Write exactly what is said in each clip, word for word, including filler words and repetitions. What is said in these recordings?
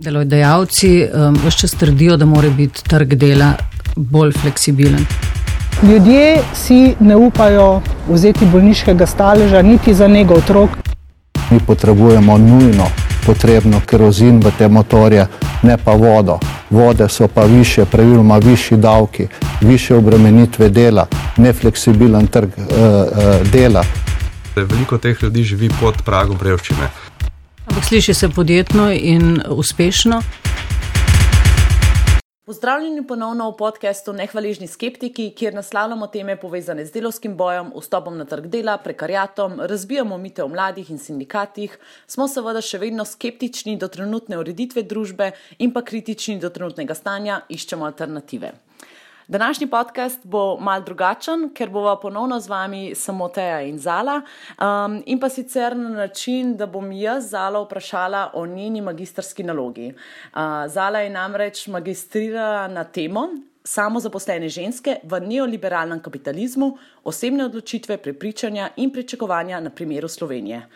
Delodajalci um, vse čas trdijo, da mora biti trg dela bolj fleksibilen. Ljudje si ne upajo vzeti bolniškega staleža niti za nego otrok. Mi potrebujemo nujno potrebno kerozin v te motorje, ne pa vodo. Vode so pa više, praviloma višji davki, više obremenitve dela, nefleksibilen trg uh, uh, dela. Veliko teh ljudi živi pod pragom revščine. Ampak sliši se podjetno in uspešno. Pozdravljeni ponovno v podcastu Nehvaležni skeptiki, kjer naslavljamo teme povezane z delovskim bojem, vstopom na trg dela, prekariatom, razbijamo mite o mladih in sindikatih, smo seveda še vedno skeptični do trenutne ureditve družbe in pa kritični do trenutnega stanja, iščemo alternative. Današnji podcast bo mal drugačen, ker bova ponovno z vami samo Teja in Zala um, in pa sicer na način, da bom jaz Zalo vprašala o njeni magistrski nalogi. Uh, Zala je namreč magistrirala na temo samozaposlene ženske v neoliberalnem kapitalizmu, osebne odločitve, prepričanja in pričakovanja na primeru Slovenije.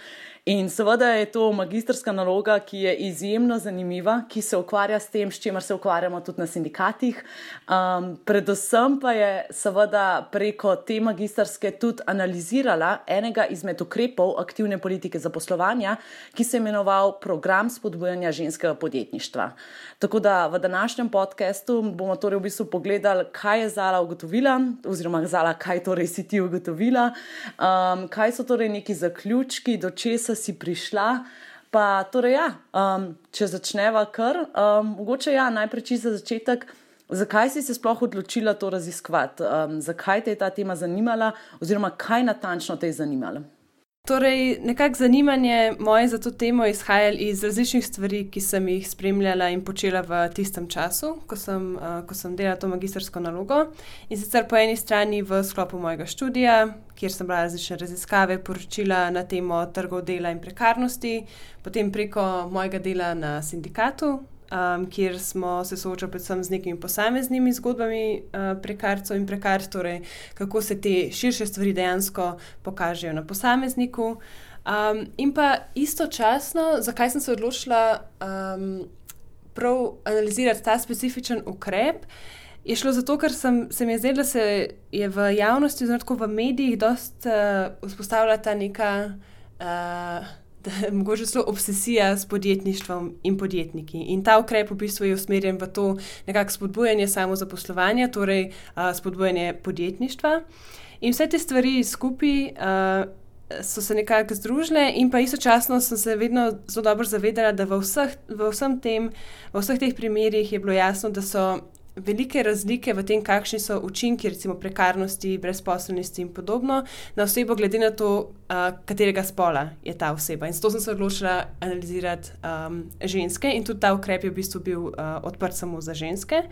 In seveda je to magistrska naloga, ki je izjemno zanimiva, ki se ukvarja s tem, s čimer se ukvarjamo tudi na sindikatih. Um, predvsem pa je seveda preko te magistrske tudi analizirala enega izmed ukrepov aktivne politike zaposlovanja, ki se je imenoval Program spodbujanja ženskega podjetništva. Tako da v današnjem podcastu bomo torej v bistvu pogledali, kaj je Zala ugotovila, oziroma Zala, kaj torej si ti ugotovila, um, kaj so torej neki zaključki, do česa si prišla, pa torej ja, um, če začneva kar, um, mogoče ja, najprej čisto za začetek, zakaj si se sploh odločila to raziskovati, um, zakaj te je ta tema zanimala, oziroma kaj natančno te je zanimalo? Torej, nekako zanimanje moje za to temo izhaja iz različnih stvari, ki sem jih spremljala in počela v tistem času, ko sem, uh, ko sem delala to magistrsko nalogo. In sicer po eni strani v sklopu mojega študija, kjer sem brala različne raziskave, poročila na temo trgov dela in prekarnosti, potem preko mojega dela na sindikatu, Um, kjer smo se soočali predvsem z nekimi posameznimi zgodbami uh, prekarcev in prekarc, torej kako se te širše stvari dejansko pokažejo na posamezniku. Um, in pa istočasno, zakaj sem se odločila um, prav analizirati ta specifičen ukrep, je šlo zato, ker sem, se mi je zdelo, da se je v javnosti, oziroma tako v medijih, dost uh, vzpostavila ta neka uh, mogoče celo obsesija s podjetništvom in podjetniki. In ta ukrep v bistvu je usmerjen v to nekako spodbujanje samozaposlovanja, torej uh, spodbujanje podjetništva. In vse te stvari skupaj uh, so se nekako združile in pa istočasno sem se vedno zelo dobro zavedala, da v vseh, v vsem tem, v vseh teh primerih je bilo jasno, da so velike razlike v tem, kakšni so učinki, recimo prekarnosti, brezposelnosti in podobno, na osebo glede na to, uh, katerega spola je ta oseba. In zato sem se odločila analizirati um, ženske in tudi ta ukrep je v bistvu bil uh, odprt samo za ženske.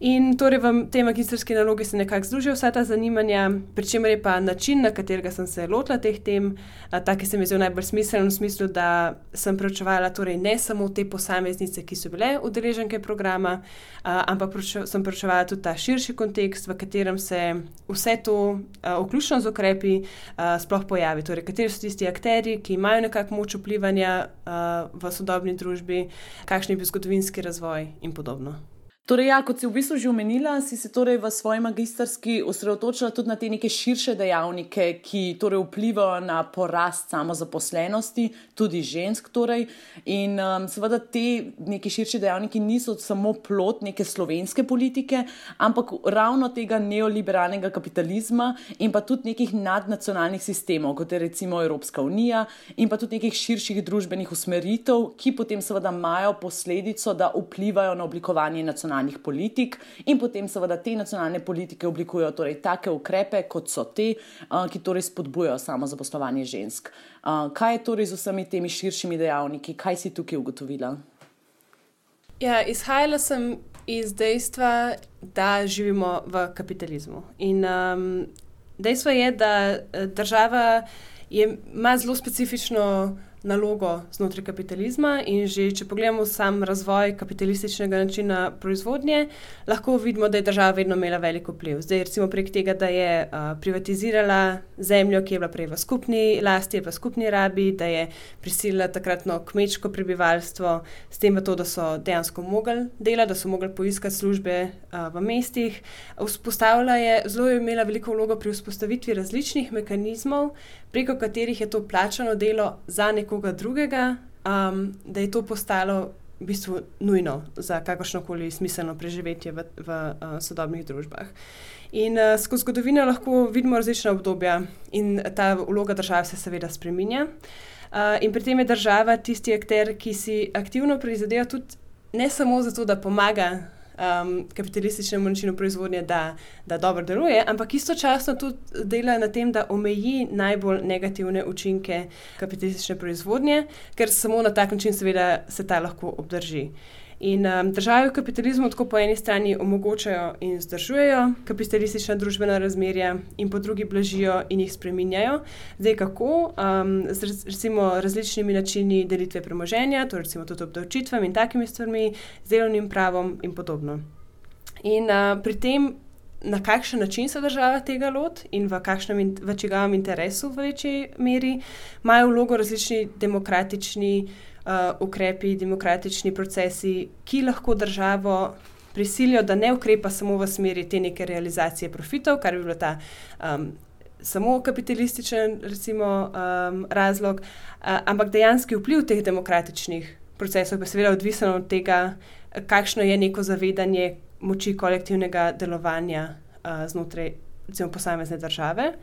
In torej v tej magistrski nalogi se nekako združijo vsa ta zanimanja, pri čemer je pa način, na katerega sem se lotila teh tem, tak, ki se mi je zelo najbolj smiseln, v smislu, da sem preučevala torej ne samo te posameznice, ki so bile udeleženke programa, a, ampak sem preučevala tudi ta širši kontekst, v katerem se vse to, a, vključno z ukrepi, a, sploh pojavi. Torej, kateri so tisti akterji, ki imajo nekako moč vplivanja a, v sodobni družbi, kakšen je bil zgodovinski razvoj in podobno. Torej, ja, kot si v bistvu že omenila, si se torej v svoji magistrski osredotočila tudi na te neke širše dejavnike, ki torej vplivajo na porast samozaposlenosti, tudi žensk torej. In um, seveda te neke širše dejavniki niso samo plod neke slovenske politike, ampak ravno tega neoliberalnega kapitalizma in pa tudi nekih nadnacionalnih sistemov, kot je recimo Evropska unija in pa tudi nekih širših družbenih usmeritev, ki potem seveda imajo posledico, da vplivajo na oblikovanje nacionalnih politik in potem seveda te nacionalne politike oblikujejo torej take ukrepe, kot so te, ki torej spodbujajo samozaposlovanje žensk. Kaj je torej z vsemi temi širšimi dejavniki? Kaj si tukaj ugotovila? Ja, izhajala sem iz dejstva, da živimo v kapitalizmu. In um, dejstvo je, da država je, ima zelo specifično nalogo znotraj kapitalizma in že, če pogledamo sam razvoj kapitalističnega načina proizvodnje, lahko vidimo, da je država vedno imela veliko vpliv. Zdaj, recimo prek tega, da je uh, privatizirala zemljo, ki je bila prej v skupni lasti, v skupni rabi, da je prisilila takratno kmečko prebivalstvo s tem v to, da so dejansko mogli delati, da so mogli poiskati službe uh, v mestih. Vzpostavila je, zelo je imela veliko vlogo pri vzpostavitvi različnih mehanizmov, preko katerih je to plačano delo za nekoga drugega, um, da je to postalo v bistvu nujno za kakršnokoli smiselno preživetje v, v uh, sodobnih družbah. In uh, skozi zgodovino lahko vidimo različna obdobja in ta vloga države se seveda spreminja. Uh, in pri tem je država tisti akter, ki si aktivno prizadeva tudi ne samo zato, da pomaga Um, kapitalističnemu načinu proizvodnje, da, da dobro deluje, ampak istočasno tudi dela na tem, da omeji najbolj negativne učinke kapitalistične proizvodnje, ker samo na tak način seveda se ta lahko obdrži. In um, države v kapitalizmu tako po eni strani omogočajo in vzdržujejo kapitalistična družbena razmerja in po drugi blažijo in jih spreminjajo. Zdaj kako? Um, z recimo različnimi načini delitve premoženja, to recimo tudi obdavčitvami in takimi stvarmi, z delovnim pravom in podobno. In uh, pri tem, na kakšen način se država tega loti in v kakšnem v čigavem interesu v večji meri, imajo vlogo različni demokratični Uh, ukrepi, demokratični procesi, ki lahko državo prisilijo, da ne ukrepa samo v smeri te neke realizacije profitov, kar bi bilo ta um, samo kapitalističen recimo, um, razlog, uh, ampak dejanski vpliv teh demokratičnih procesov pa seveda odvisen od tega, kakšno je neko zavedanje moči kolektivnega delovanja uh, znotraj recimo, posamezne države.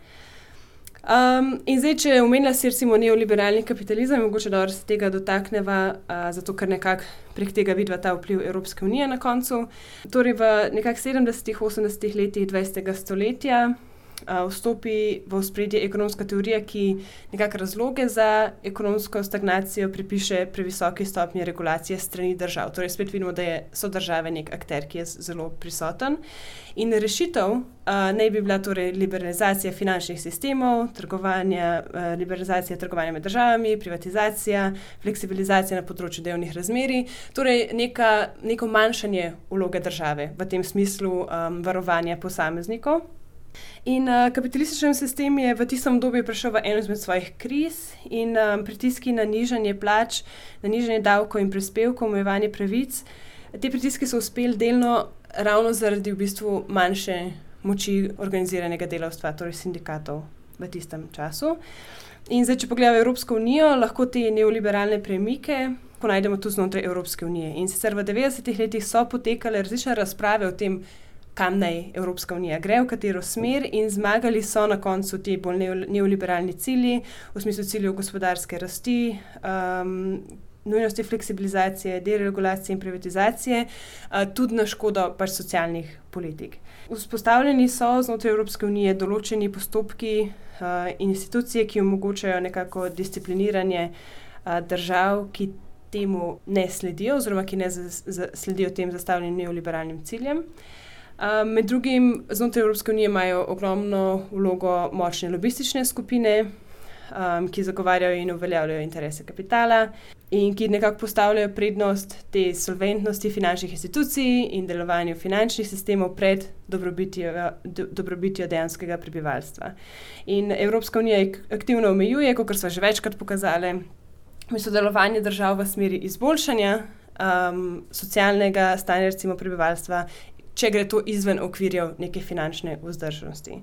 Um, in zdaj, če omenila si recimo neoliberalni kapitalizem, mogoče dobro se tega dotakneva, uh, zato ker nekako prek tega vidva ta vpliv Evropske unije na koncu. Torej v nekak sedemdesetih, osemdesetih letih dvajsetega stoletja uh, vstopi v ospredje ekonomska teorija, ki nekako razloge za ekonomsko stagnacijo pripiše previsoki stopnji regulacije strani držav. Torej spet vidimo, da je, so države nek akter, ki je zelo prisoten. In rešitev uh, naj bi bila torej liberalizacija finančnih sistemov, trgovanja, uh, liberalizacija trgovanja med državami, privatizacija, fleksibilizacija na področju delovnih razmerij, torej neka, neko manjšanje vloge države v tem smislu um, varovanja posameznikov. In uh, kapitalistični sistem je v tistem obdobju prišel v eno izmed svojih kriz in um, pritiski na nižanje plač, na nižanje davkov in prispevkov, omejevanje pravic. Te pritiske so uspeli delno ravno zaradi v bistvu manjše moči organiziranega delavstva, torej sindikatov v tistem času. In zdaj, če pogledamo Evropsko unijo, lahko te neoliberalne premike ponajdemo tudi znotraj Evropske unije. In sicer v devetdesetih letih so potekale različne razprave o tem, kam naj Evropska unija gre, v katero smer, in zmagali so na koncu ti bolj neoliberalni cilji, v smislu ciljev gospodarske rasti, um, nujnosti fleksibilizacije, deregulacije in privatizacije, uh, tudi na škodo pač socialnih politik. Vzpostavljeni so znotraj Evropske unije določeni postopki uh, in institucije, ki omogočajo nekako discipliniranje uh, držav, ki temu ne sledijo oziroma ki ne z, z, sledijo tem zastavljenim neoliberalnim ciljem. Uh, med drugim znotraj Evropske unije imajo ogromno vlogo močne lobistične skupine, um, ki zagovarjajo in uveljavljajo interese kapitala in ki nekako postavljajo prednost te solventnosti finančnih institucij in delovanju finančnih sistemov pred dobrobitjo, do, dobrobitjo dejanskega prebivalstva. In Evropska unija aktivno omejuje, kot so že večkrat pokazale, sodelovanje držav v smeri izboljšanja um, socialnega stanja recimo prebivalstva, če gre to izven okvirjev neke finančne vzdržnosti.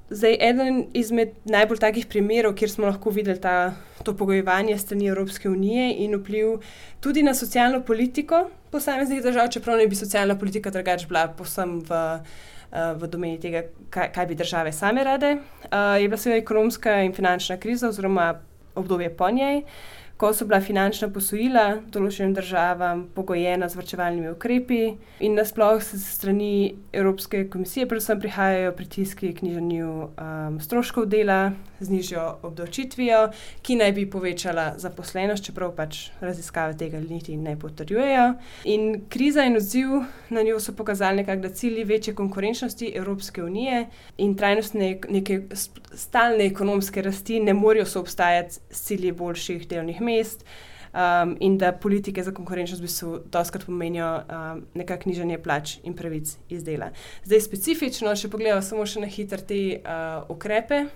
Zdaj, eden izmed najbolj takih primerov, kjer smo lahko videli ta, to pogojevanje strani Evropske unije in vpliv tudi na socialno politiko posameznih držav, čeprav ne bi socialna politika drugač bila povsem v, v domeni tega, kaj, kaj bi države same rade, je bila seveda ekonomska in finančna kriza oziroma obdobje po njej, ko so bila finančna posojila določenim državam pogojena z varčevalnimi ukrepi in nasploh se strani Evropske komisije predvsem prihajajo pritiski k nižanju um, stroškov dela z nižjo obdavčitvijo, ki naj bi povečala zaposlenost, čeprav pač raziskave tega niti ne potrjujejo. In kriza in odziv na njo so pokazali nekako, da cilji večje konkurenčnosti Evropske unije in trajnostne neke stalne ekonomske rasti ne morejo soobstajati s cilji boljših delovnih mest um, in da politike za konkurenčnost v bistvu dostikrat pomenijo um, nekako nižanje plač in pravic iz dela. Zdaj specifično, če pogledamo samo še na hitro te uh, ukrepe,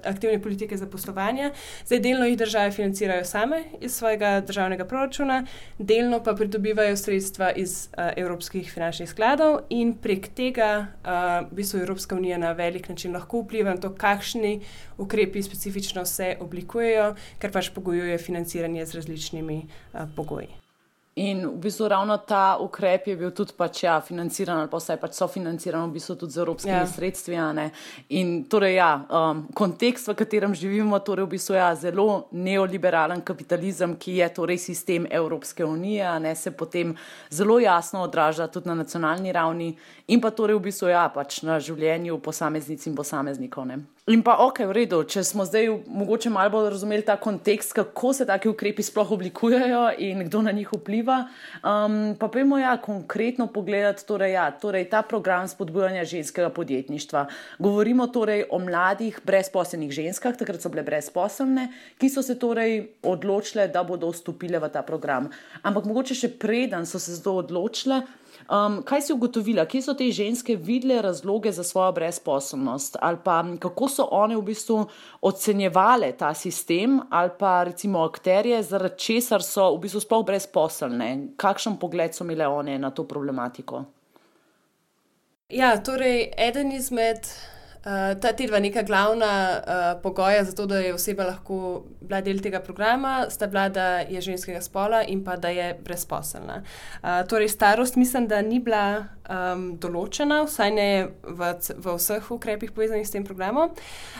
aktivne politike zaposlovanja. Zdaj delno jih države financirajo same iz svojega državnega proračuna, delno pa pridobivajo sredstva iz uh, evropskih finančnih skladov in prek tega uh, v bistvu Evropska unija na velik način lahko vpliva na to, kakšni ukrepi specifično se oblikujejo, ker pač pogojujejo financiranje z različnimi uh, pogoji. In v bistvu ravno ta ukrep je bil tudi pač ja, financiran ali pa vsaj pač sofinanciran v bistvu tudi z evropskimi ja. sredstvi. Ne? In torej ja, um, kontekst, v katerem živimo, torej v bistvu ja, zelo neoliberalen kapitalizem, ki je torej sistem Evropske unije, ne, se potem zelo jasno odraža tudi na nacionalni ravni in pa torej v bistvu ja, pač na življenju posameznic in posameznikov. Ne? In pa ok, v redu, če smo zdaj mogoče malo bolj razumeli ta kontekst, kako se taki ukrepi sploh oblikujejo in kdo na njih vpliva, um, pa pojmo ja, konkretno pogledati torej, ja, torej ta program spodbujanja ženskega podjetništva. Govorimo torej o mladih brezposelnih ženskah, takrat so bile brezposelne, ki so se torej odločile, da bodo vstopile v ta program. Ampak mogoče še preden so se zato odločile, Um, kaj si ugotovila, kje so te ženske videle razloge za svojo brezposelnost ali pa kako so one v bistvu ocenjevale ta sistem ali pa recimo akterje, zaradi česar so v bistvu sploh brezposelne? Kakšen pogled so imele one na to problematiko? Ja, torej eden izmed Uh, ta te dva neka glavna uh, pogoja za to, da je oseba lahko bila del tega programa, sta bila, da je ženskega spola in pa da je brezposelna. Uh, torej starost mislim, da ni bila um, določena, vsaj ne v, v vseh ukrepih povezanih s tem programom.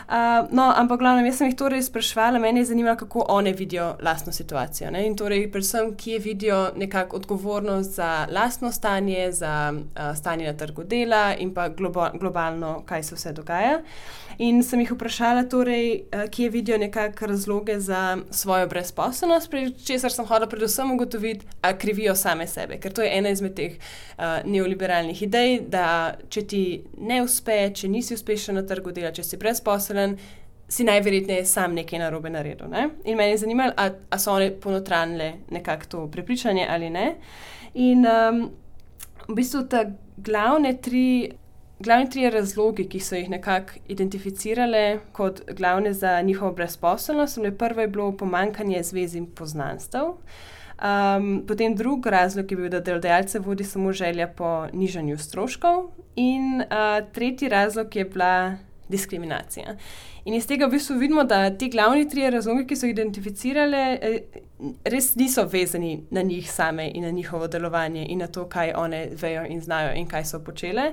Uh, no, ampak glavno, jaz sem jih torej spraševala, mene je zanimalo, kako one vidijo lastno situacijo. Ne? In torej predvsem, kje vidijo nekako odgovornost za lastno stanje, za uh, stanje na trgu dela in pa globo, globalno, kaj se vse dogaja. In sem jih vprašala, torej, kje vidijo nekako razloge za svojo brezposelnost, pri česar sem hodila predvsem ugotoviti, a krivijo same sebe, ker to je ena izmed teh uh, neoliberalnih idej, da če ti ne uspe, če nisi uspešen na trgu dela, če si brezposelen, si najverjetneje sam nekaj narobe naredil. Ne? In meni je zanimalo, a, a so one ponotranile nekako to prepričanje ali ne. In um, v bistvu ta glavne tri Glavni trije razlogi, ki so jih nekako identificirale kot glavne za njihovo brezposelnost, prvo je bilo pomanjkanje zvez in poznanstev. Um, potem drug razlog je bil, da delodajalce vodi samo želja po nižanju stroškov in uh, tretji razlog je bila diskriminacija. In iz tega v bistvu vidimo, da ti glavni trije razlogi, ki so identificirale, res niso vezani na njih same in na njihovo delovanje in na to, kaj one vejo in znajo in kaj so počele,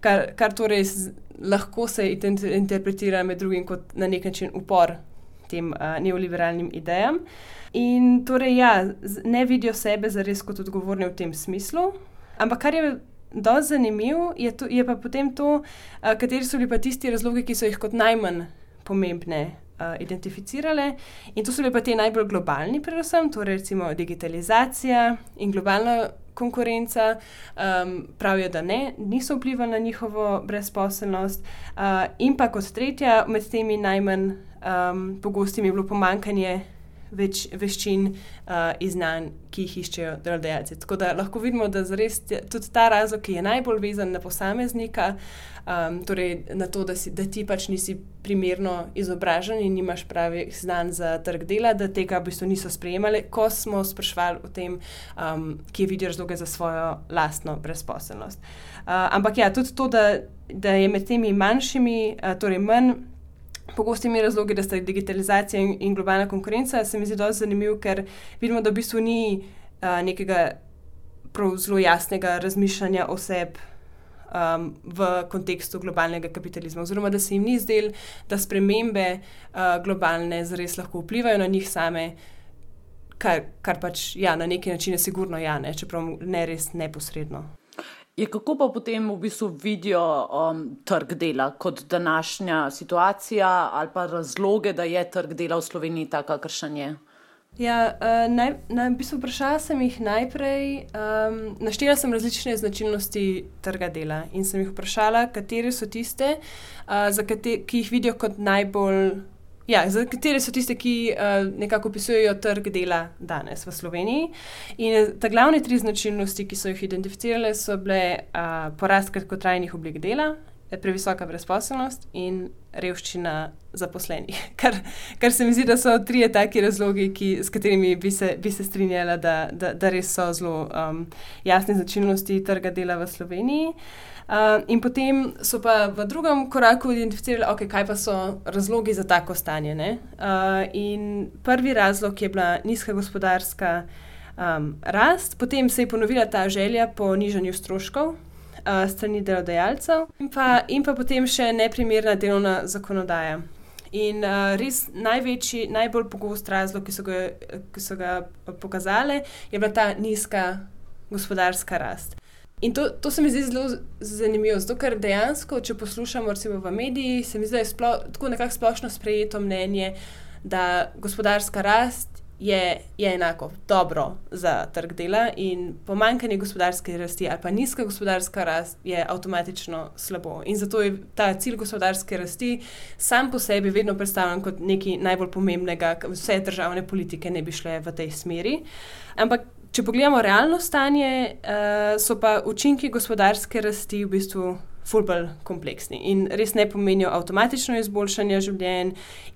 kar, kar torej z, lahko se interpretira med drugim kot na nek način upor tem uh, neoliberalnim idejam. In torej ja, ne vidijo sebe zares kot odgovorne v tem smislu, ampak kar je dosti zanimivo, je, to, je pa potem to, uh, kateri so bili pa tisti razlogi, ki so jih kot najmanj pomembne uh, identificirale. In to so bili pa te najbolj globalni predvsem, torej recimo digitalizacija in globalna konkurenca, um, pravijo, da ne, niso vplivali na njihovo brezposelnost. Uh, in pa kot tretja, med temi najmanj um, pogostimi je bilo pomanjkanje več veščin uh, in znanj, ki jih iščejo delodajalci. Tako da lahko vidimo, da zares tudi ta razlog, ki je najbolj vezan na posameznika, um, torej na to, da, si, da ti pač nisi primerno izobražen in nimaš pravih znanj za trg dela, da tega v bistvu niso sprejemali, ko smo sprašvali o tem, um, kje vidijo razloge za svojo lastno brezposelnost. Uh, ampak ja, tudi to, da, da je med temi manjšimi, uh, torej manj pogostimi razlogi, da sta digitalizacija in, in globalna konkurenca, se mi zdi dosti zanimiv, ker vidimo, da v bistvu ni uh, nekega prav zelo jasnega razmišljanja oseb um, v kontekstu globalnega kapitalizma, oziroma da se jim ni zdel, da spremembe uh, globalne zares lahko vplivajo na njih same, kar, kar pač ja, na neki način je sigurno ja, ne, čeprav ne res neposredno. Je kako pa potem v bistvu vidijo um, trg dela kot današnja situacija ali pa razloge, da je trg dela v Sloveniji tak, kakršen je? Ja, uh, naj, naj, v bistvu vprašala sem jih najprej, um, naštela sem različne značilnosti trga dela in sem jih vprašala, katere so tiste, uh, za kate, ki jih vidijo kot najbolj, ja, za katere so tiste, ki uh, nekako opisujejo trg dela danes v Sloveniji. In ta glavne tri značilnosti, ki so jih identificirale, so bile uh, porast kratkotrajnih oblik dela, previsoka brezposelnost in revščina zaposlenih. Kar, kar se mi zdi, da so trije taki razlogi, ki, s katerimi bi se, bi se strinjala, da, da, da res so zelo um, jasne značilnosti trga dela v Sloveniji. Uh, in potem so pa v drugem koraku identificirali, okay, kaj pa so razlogi za tako stanje. Ne? Uh, in prvi razlog je bila nizka gospodarska um, rast, potem se je ponovila ta želja po nižanju stroškov uh, strani delodajalcev in pa, in pa potem še neprimerna delovna zakonodaja. In uh, res največji, najbolj pogost razlog, ki so ga, ki so ga pokazali, je bila ta nizka gospodarska rast. In to, to se mi zdi zelo zanimivo, zato ker dejansko, če poslušamo recimo v mediji, se mi zdi, da je splo, tako nekako splošno sprejeto mnenje, da gospodarska rast je, je enako dobro za trg dela in pomanjkanje gospodarske rasti ali pa nizka gospodarska rast je avtomatično slabo. In zato je ta cilj gospodarske rasti sam po sebi vedno predstavljen kot nekaj najbolj pomembnega, vse državne politike ne bi šle v tej smeri. Ampak če pogledamo realno stanje, uh, so pa učinki gospodarske rasti v bistvu ful bolj kompleksni in res ne pomenijo avtomatično izboljšanje življenj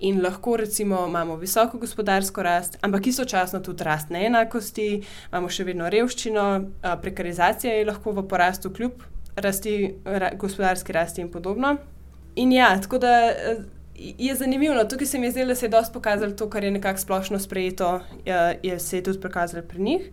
in lahko recimo imamo visoko gospodarsko rast, ampak istočasno tudi rast neenakosti, imamo še vedno revščino, uh, prekarizacija je lahko v porastu kljub rasti, ra, gospodarski rasti in podobno. In ja, tako da uh, je zanimivo, tukaj se mi je zdelo, da se je dosti pokazalo to, kar je nekako splošno sprejeto, je, je se je tudi prikazalo pri njih.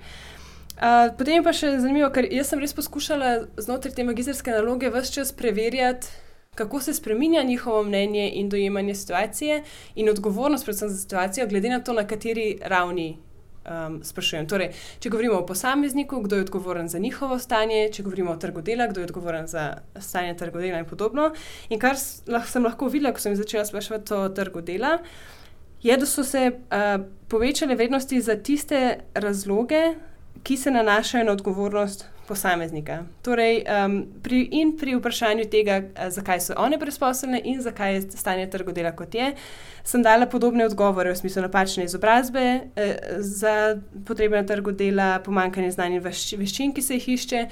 Uh, potem je pa še zanimivo, ker jaz sem res poskušala znotraj te magistrske naloge ves čas preverjati, kako se spreminja njihovo mnenje in dojemanje situacije in odgovornost predvsem za situacijo, glede na to, na kateri ravni um, sprašujem. Torej, če govorimo o posamezniku, kdo je odgovoren za njihovo stanje, če govorimo o trgu dela, kdo je odgovoren za stanje trgu dela in podobno. In kar sem lahko videla, ko sem začela spraševati o trgu dela, je, da so se uh, povečale vrednosti za tiste razloge, ki se nanašajo na odgovornost posameznika. Torej, um, pri, in pri vprašanju tega, zakaj so one brezposelne in zakaj je stanje trgu dela kot je, sem dala podobne odgovore v smislu napačne izobrazbe eh, za potrebe na trgu dela, pomanjkanje znanja in veščin, ki se jih išče.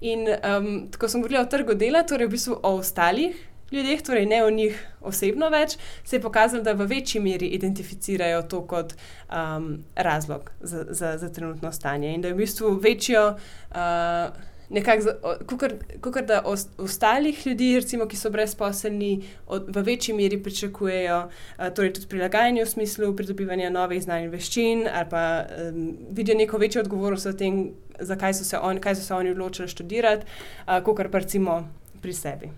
In um, tako sem govorila o trgu dela, torej v bistvu o ostalih ljudeh, torej ne o njih osebno več, se je pokazalo, da v večji meri identificirajo to kot um, razlog za, za, za trenutno stanje in da je v bistvu večjo, uh, nekako, kakor, kakor da os, ostalih ljudi, recimo, ki so brezposelni, od, v večji meri pričakujejo uh, torej tudi prilagajanje v smislu pridobivanja novih znanj in veščin ali pa um, vidijo neko večjo odgovornost za tem, zakaj so se oni, kaj so se oni odločili študirati, uh, kakor pa recimo pri sebi.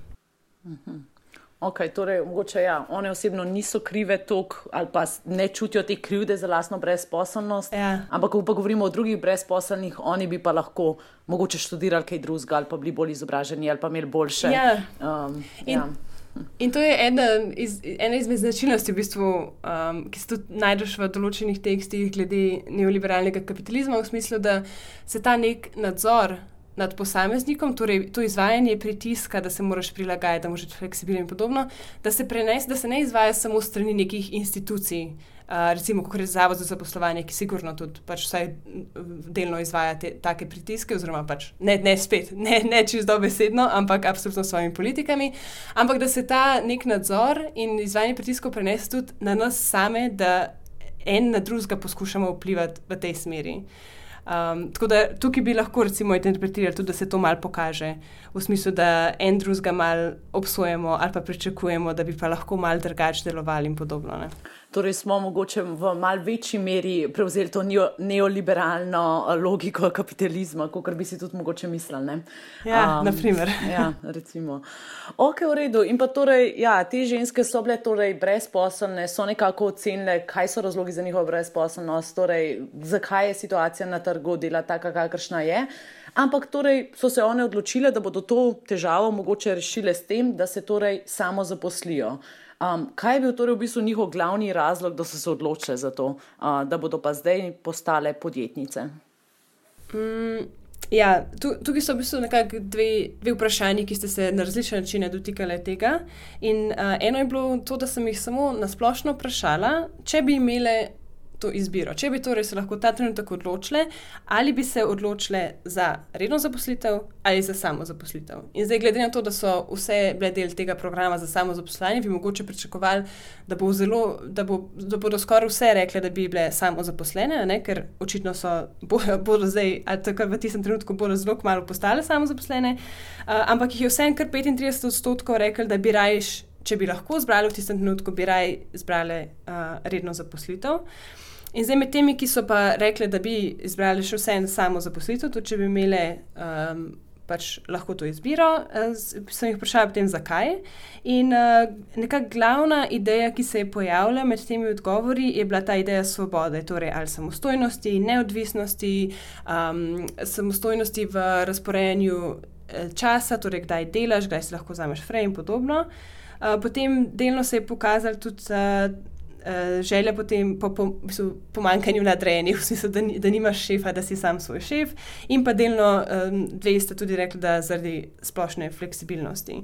Mhm. Ok, torej, mogoče ja, one osebno niso krive toliko ali pa ne čutijo te krivde za lastno brezposelnost, ja. Ampak ko pa govorimo o drugih brezposelnih, oni bi pa lahko mogoče študirali kaj drugega ali pa bili bolj izobraženi ali pa imeli boljše. Ja. Um, in, ja. in to je ena, iz, ena izmed značilnosti, v bistvu, um, ki se tudi najdeš v določenih tekstih glede neoliberalnega kapitalizma, v smislu, da se ta nek nadzor nad posameznikom, torej to izvajanje pritiska, da se moraš prilagajati, da moraš biti fleksibilen in podobno, da se prenes, da se ne izvaja samo strani nekih institucij, uh, recimo kot je Zavod za zaposlovanje, ki sigurno tudi pač vsaj delno izvaja te, take pritiske, oziroma pač ne, ne spet, ne, ne čisto dobesedno, ampak absolutno s svojimi politikami, ampak da se ta nek nadzor in izvajanje pritiskov prenese tudi na nas same, da en na drugega poskušamo vplivati v tej smeri. Um, tako da tukaj bi lahko recimo interpretirali tudi, da se to malo pokaže v smislu, da en drugega malo obsojamo ali pa pričakujemo, da bi pa lahko malo drugače delovali in podobno. Ne? Torej smo mogoče v mal večji meri prevzeli to neoliberalno logiko kapitalizma, kot bi si tudi mogoče mislili, ne? Ja, um, naprimer. Ja, recimo. Ok, v redu. In pa torej, ja, te ženske so bile torej brezposelne, so nekako ocenile, kaj so razlogi za njihovo brezposelnost, torej zakaj je situacija na trgu dela taka, kakršna je. Ampak torej so se one odločile, da bodo to težavo mogoče rešile s tem, da se torej samo zaposlijo. Um, kaj je bil torej v bistvu njihov glavni razlog, da so se odločile za to, uh, da bodo pa zdaj postale podjetnice? Mm, ja, tu, tukaj so v bistvu nekako dve, dve vprašanji, ki ste se na različne načine dotikale tega. In uh, eno je bilo to, da sem jih samo nasplošno vprašala, če bi imele to izbiro. Če bi torej se lahko ta trenutek odločile, ali bi se odločile za redno zaposlitev ali za samozaposlitev. In zdaj, glede na to, da so vse bile del tega programa za samozaposlovanje, bi mogoče pričakovali, da, bo zelo, da, bo, da bodo skoraj vse rekle, da bi bile samozaposlene, ne? Ker očitno so, bodo zdaj, ali takrat v tistem trenutku bodo zelo kmalu postale samozaposlene, uh, ampak jih je vsem kar petintrideset odstotkov rekli, da bi rajš, če bi lahko zbrali v tistem trenutku, bi raj zbrali uh, redno zaposlitev. In zdaj med temi, ki so pa rekli, da bi izbrali še vse en samo zaposlitev, tudi če bi imeli um, pač lahko to izbiro, sem jih vprašala potem zakaj. In uh, neka glavna ideja, ki se je pojavila med temi odgovori, je bila ta ideja svobode, torej ali samostojnosti, neodvisnosti, um, samostojnosti v razporejanju časa, torej kdaj delaš, kdaj si lahko vzameš frej in podobno. Uh, potem delno se je pokazalo tudi uh, Uh, želja potem po, po pomanjkanju nadrejenih, v smislu, da, ni, da nimaš šefa, da si sam svoj šef, in pa delno um, dve sta tudi rekli, da zaradi splošne fleksibilnosti.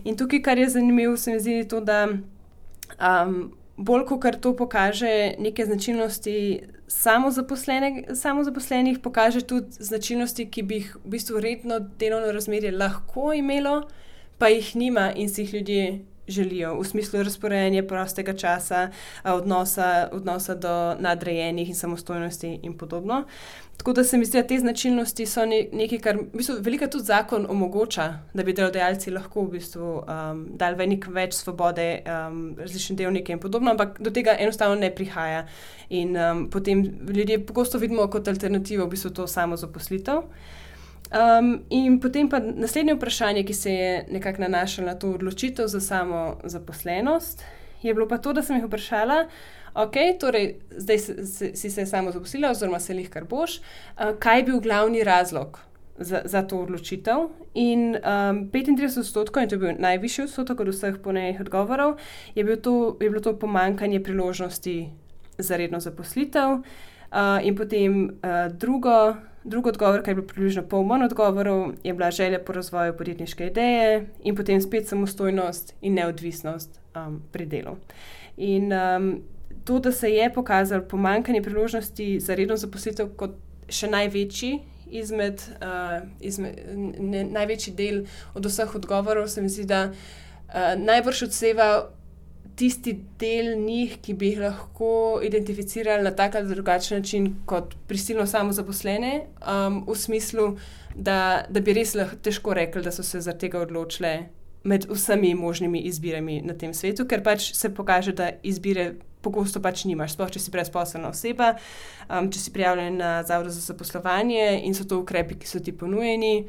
In tukaj, kar je zanimivo, se mi zdi to, da um, bolj, ko kar to pokaže neke značilnosti samozaposlenih, pokaže tudi značilnosti, ki bi jih v bistvu redno delovno razmerje lahko imelo, pa jih nima in si jih ljudje želijo, v smislu razporejanja prostega časa, odnosa, odnosa do nadrejenih in samostojnosti in podobno. Tako da se mi zdi, da te značilnosti so ne, nekaj, kar v bistvu velika tudi zakon omogoča, da bi delodajalci lahko v bistvu um, dali veliko več svobode, um, različne delnike in podobno, ampak do tega enostavno ne prihaja. In um, potem ljudje pogosto vidimo kot alternativo v bistvu to samo zaposlitev. Um, in potem pa naslednje vprašanje, ki se je nekako nanašalo na to odločitev za samo zaposlenost, je bilo pa to, da sem jih vprašala, ok, torej zdaj si, si, si se samo zaposlila oziroma se lih kar boš, uh, kaj je bil glavni razlog za, za to odločitev. In um, petintrideset odstotkov, in to je bil najvišji odstotek od vseh ponejenih odgovorov, je, bil to, je bilo to pomanjkanje priložnosti za redno zaposlitev. Uh, in potem uh, drugo, drugo odgovor, kar je bilo približno pol manj odgovorov, je bila želja po razvoju podjetniške ideje in potem spet samostojnost in neodvisnost um, pri delu. In um, to, da se je pokazalo pomanjkanje priložnosti za redno zaposlitev kot še največji izmed, uh, izmed ne, največji del od vseh odgovorov, se mi zdi, da uh, najbrž odseva tisti del njih, ki bi jih lahko identificirali na tak ali drugačen način kot prisilno samozaposlene, um, v smislu, da, da bi res lahko težko rekli, da so se zaradi tega odločile med vsemi možnimi izbirami na tem svetu, ker pač se pokaže, da izbire pogosto pač nimaš, sploh če si brezposelna oseba, um, če si prijavljen na Zavodu za zaposlovanje in so to ukrepi, ki so ti ponujeni,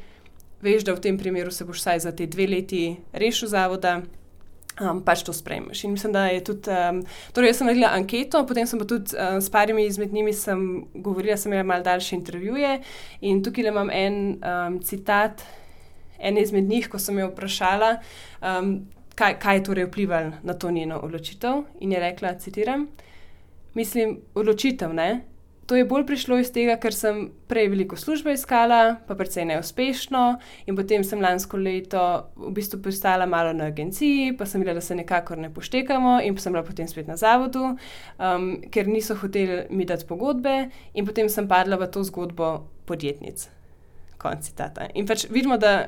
veš, da v tem primeru se boš vsaj za te dve leti rešil zavoda, Um, pač to sprejmeš. In mislim, da je tudi, um, torej jaz sem naredila anketo, potem sem pa tudi uh, s parimi izmed njimi sem govorila, sem imela malo daljše intervjuje in tukaj imam en um, citat ene izmed njih, ko sem jo vprašala, um, kaj, kaj je torej vplivalo na to njeno odločitev in je rekla, citiram, mislim, odločitev, ne? To je bolj prišlo iz tega, ker sem prej veliko službe iskala, pa precej neuspešno in potem sem lansko leto v bistvu pristala malo na agenciji, pa sem videla, da se nekakor ne poštekamo in pa sem bila potem spet na zavodu, um, ker niso hoteli mi dati pogodbe in potem sem padla v to zgodbo podjetnic. Konec citata. In pač vidimo, da,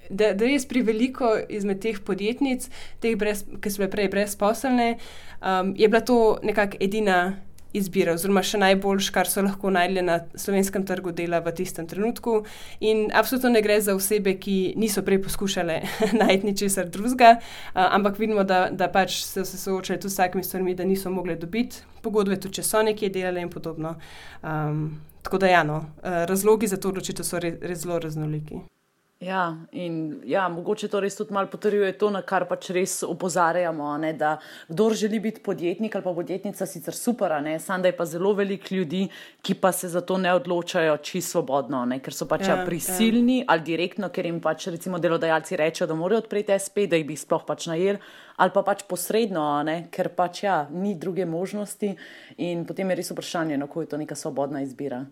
da, da res pri veliko izmed teh podjetnic, teh brez, ki so bile prej brezposelne, um, je bila to nekako edina izbire, oziroma še najboljš, kar so lahko najdli na slovenskem trgu dela v tistem trenutku. In absolutno ne gre za osebe, ki niso prej poskušale najti ničesar drugega, ampak vidimo, da, da pač so se soočali tudi s takimi stvarmi, da niso mogli dobiti pogodbe, tudi če so nekje delali in podobno. Um, tako da ja, no, razlogi za to odločitev so res, res zelo raznoliki. Ja, in ja, mogoče to res tudi malo potrjuje to, na kar pač res opozarjamo, ne, da kdor želi biti podjetnik ali pa podjetnica, sicer super, ne, sam da je pa zelo veliko ljudi, ki pa se za to ne odločajo čisto svobodno, ne, ker so pač ja, prisilni ja. ali direktno, ker jim pač recimo delodajalci rečejo, da morajo odpreti es pe, da jih bi sploh pač najeli, ali pa pač posredno, ne, ker pač ja, ni druge možnosti in potem je res vprašanje, no, ko je to neka svobodna izbira.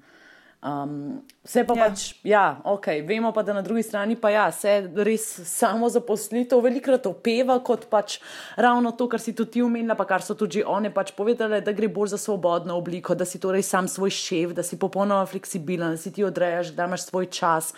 Um, vse pa ja. pač, ja, ok, vemo pa, da na drugi strani pa ja, se res samo zaposlitev velikrat opeva kot pač ravno to, kar si tudi ti omenila, pa kar so tudi one pač povedale, da gre bolj za svobodno obliko, da si torej sam svoj šef, da si popolnoma fleksibilen, da si ti odrejaš, da imaš svoj čas.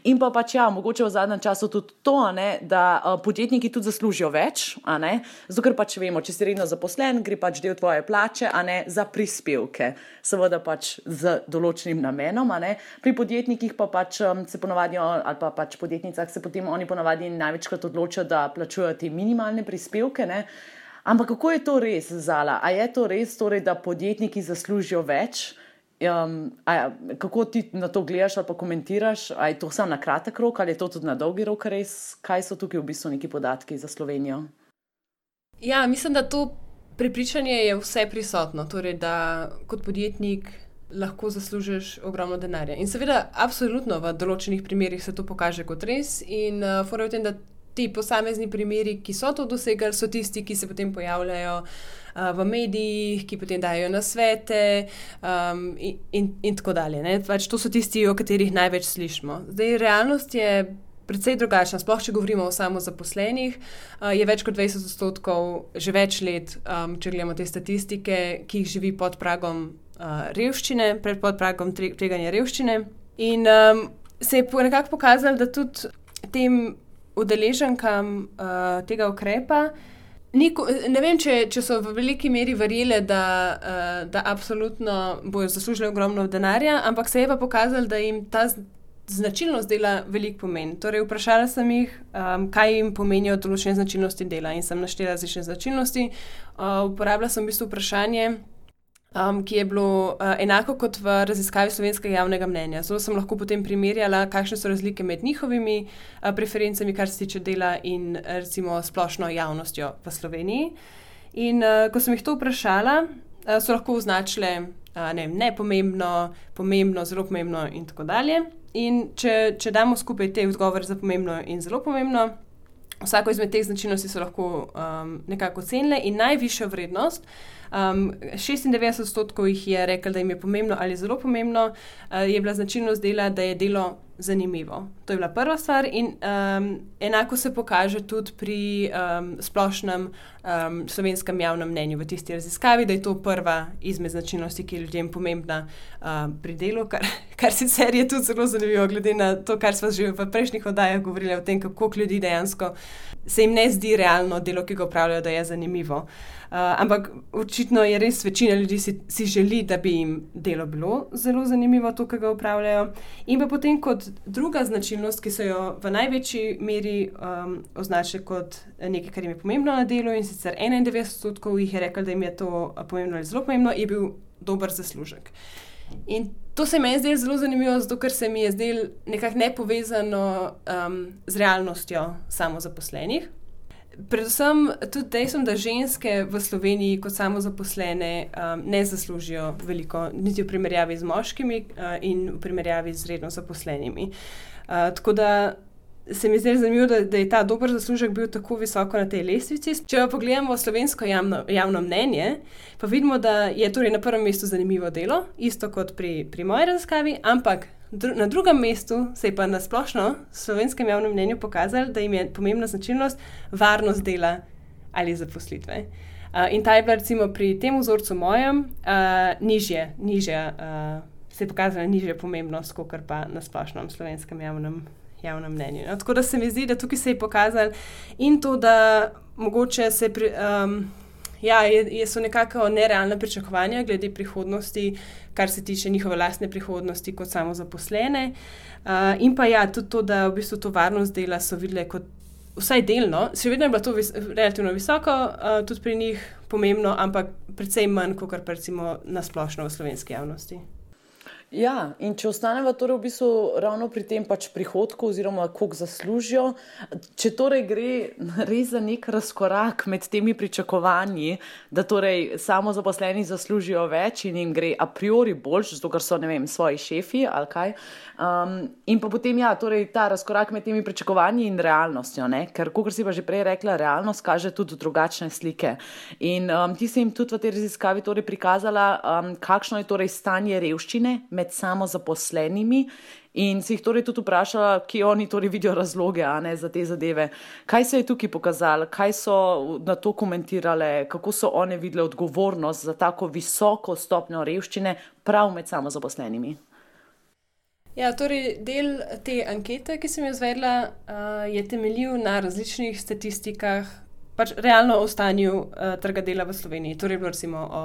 In pa pač ja, mogoče v zadnjem času tudi to, ne, da uh, podjetniki tudi zaslužijo več, a ne, zato ker pač vemo, če si redno zaposlen, gre pač del tvoje plače, a ne, za prispevke, seveda pač z določenim namenom. Ne? Pri podjetnikih pa pač um, se ponavadi, ali pa pač podjetnicah se potem oni ponavadi največkrat odločijo, da plačujejo te minimalne prispevke, ne? Ampak kako je to res, Zala? A je to res, torej, da podjetniki zaslužijo več? Um, a, kako ti na to gledaš ali pa komentiraš? A je to samo na kratek rok ali je to tudi na dolgi rok res? Kaj so tukaj v bistvu neki podatki za Slovenijo? Ja, mislim, da to prepričanje je vse prisotno, torej da kot podjetnik lahko zaslužiš ogromno denarja. In seveda, absolutno v določenih primerih se to pokaže kot res in uh, fora je v tem, da ti posamezni primeri, ki so to dosegali, so tisti, ki se potem pojavljajo uh, v medijih, ki potem dajo nasvete um, in, in, in tako dalje. Ne? Pač to so tisti, o katerih največ slišimo. Zdaj, realnost je precej drugačna, sploh če govorimo o samozaposlenih, uh, je več kot dvajset odstotkov že več let, um, če gledamo te statistike, ki jih živi pod pragom Uh, revščine, pred pod pragom tveganja revščine. In um, se je nekako pokazalo, da tudi tem udeleženkam uh, tega ukrepa, niko, ne vem, če, če so v veliki meri verjele, da, uh, da absolutno bojo zaslužili ogromno denarja, ampak se je pa pokazalo, da jim ta značilnost dela velik pomen. Torej, vprašala sem jih, um, kaj jim pomenijo določene značilnosti dela in sem naštela različne značilnosti. Uh, uporabila sem v bistvu vprašanje, Um, ki je bilo uh, enako kot v raziskavi slovenskega javnega mnenja. Zato sem lahko potem primerjala, kakšne so razlike med njihovimi uh, preferencami, kar se tiče dela in recimo splošno javnostjo v Sloveniji. In uh, ko sem jih to vprašala, uh, so lahko označile uh, ne, nepomembno, pomembno, zelo pomembno in tako dalje. In če, če damo skupaj te odgovore za pomembno in zelo pomembno, vsako izmed teh značilnosti so lahko um, nekako ocenile in najvišjo vrednost, Um, šestindevetdeset odstotkov jih je rekel, da jim je pomembno ali zelo pomembno, uh, je bila značilnost dela, da je delo zanimivo. To je bila prva stvar in um, enako se pokaže tudi pri um, splošnem um, slovenskem javnem mnenju v tisti raziskavi, da je to prva izmed značilnosti, ki je ljudem pomembna um, pri delu, kar, kar sicer je tudi zelo zanimivo, glede na to, kar smo že v prejšnjih oddajah govorili o tem, kako ljudi dejansko se jim ne zdi realno delo, ki ga upravljajo, da je zanimivo. Uh, ampak očitno je res večina ljudi si, si želi, da bi jim delo bilo zelo zanimivo, to, ki ga upravljajo. In pa potem kot druga značilnost, ki so jo v največji meri um, označili kot nekaj, kar jim je pomembno na delu, in sicer enaindevetdeset odstotkov jih je rekel, da jim je to pomembno ali zelo pomembno, je bil dober zaslužek. In to se mi je zdelo zelo zanimivo, zato ker se mi je zdelo nekako nepovezano um, z realnostjo samozaposlenih. Predvsem tudi dejstvom, da ženske v Sloveniji kot samozaposlene um, ne zaslužijo veliko, niti v primerjavi z moškimi uh, in v primerjavi z redno zaposlenimi. Uh, tako da se mi zdi zanimivo, da, da je ta dober zaslužek bil tako visoko na tej lestvici. Če pa pogledamo slovensko javno, javno mnenje, pa vidimo, da je torej na prvem mestu zanimivo delo, isto kot pri, pri moji raziskavi, ampak na drugem mestu se je pa na splošno slovenskem javnem mnenju pokazalo, da jim je pomembna značilnost varnost dela ali zaposlitve. Uh, in ta je bila recimo pri tem vzorcu mojem uh, nižje, nižje uh, se je pokazala nižja pomembnost, kakor pa na splošnem slovenskem javnem, javnem mnenju. No, tako da se mi zdi, da tukaj se je pokazalo in to, da mogoče se pri, um, ja, je, je so nekako nerealna pričakovanja glede prihodnosti, kar se tiče njihove lastne prihodnosti kot samozaposlene. Uh, in pa ja, tudi to, da v bistvu to varnost dela so videle kot vsaj delno, še vedno je bilo to vis- relativno visoko, uh, tudi pri njih pomembno, ampak precej manj, kot kar recimo nasplošno v slovenski javnosti. Ja, in če ostaneva torej v bistvu ravno pri tem pač prihodku oziroma koliko zaslužijo, če torej gre res za nek razkorak med temi pričakovanji, da torej samozaposleni zaslužijo več in jim gre a priori boljš, zato ker so, ne vem, svoji šefi ali kaj, um, in pa potem ja, torej ta razkorak med temi pričakovanji in realnostjo, ne? Ker, kakor si pa že prej rekla, realnost kaže tudi drugačne slike. In um, ti si jim tudi v tej raziskavi torej prikazala, um, kakšno je torej stanje revščine med samozaposlenimi in si jih torej tudi vprašala, kje oni torej vidijo razloge, a ne, za te zadeve. Kaj se je tukaj pokazalo, kaj so na to komentirale, kako so one videle odgovornost za tako visoko stopnjo revščine prav med samozaposlenimi? Ja, torej del te ankete, ki sem jo izvedla, uh, je temeljil na različnih statistikah, pač realno o stanju uh, trga dela v Sloveniji. Torej bilo recimo o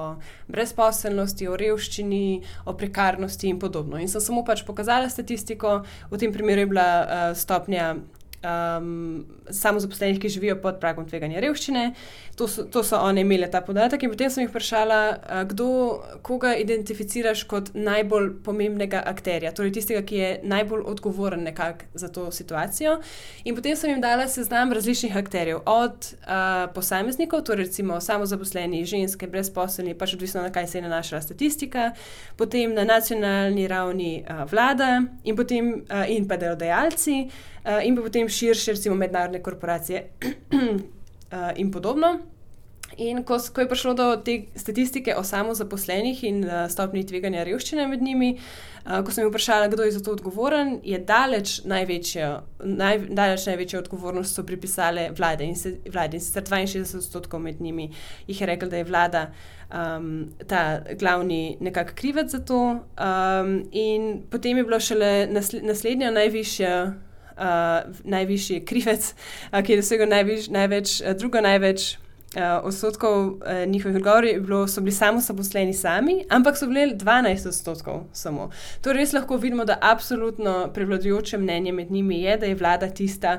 brezposelnosti, o revščini, o prekarnosti in podobno. In sem samo pač pokazala statistiko, v tem primeru je bila uh, stopnja um, samozaposlenih, ki živijo pod pragom tveganja revščine. To so, to so one imele ta podatek in potem sem jih vprašala, uh, kdo, koga identificiraš kot najbolj pomembnega akterja, torej tistega, ki je najbolj odgovoren nekako za to situacijo. In potem sem jim dala seznam različnih akterjev, od uh, posameznikov, torej recimo samozaposleni, ženske, brezposelni, pač odvisno na kaj se je nanašala statistika, potem na nacionalni ravni uh, vlada in potem uh, in pa delodajalci uh, in pa potem širše recimo mednarodne korporacije uh, in podobno. In ko, ko je prišlo do te statistike o samozaposlenih in uh, stopnji tveganja revščine med njimi, uh, ko sem jih vprašala, kdo je za to odgovoren, je daleč največjo, naj, daleč največjo odgovornost so pripisale vlade in se, vlade. In sicer dvainšestdeset odstotkov med njimi jih je rekla, da je vlada um, ta glavni nekak krivec za to. Um, in potem je bilo šele nasle, naslednja najvišja Uh, najvišji krivec, uh, ki je dosegel najviš, največ, uh, drugo največ uh, odstotkov uh, njihovih odgovorov, so bili samozaposleni sami, ampak so bili dvanajst odstotkov samo. To res lahko vidimo, da absolutno prevladujoče mnenje med njimi je, da je vlada tista,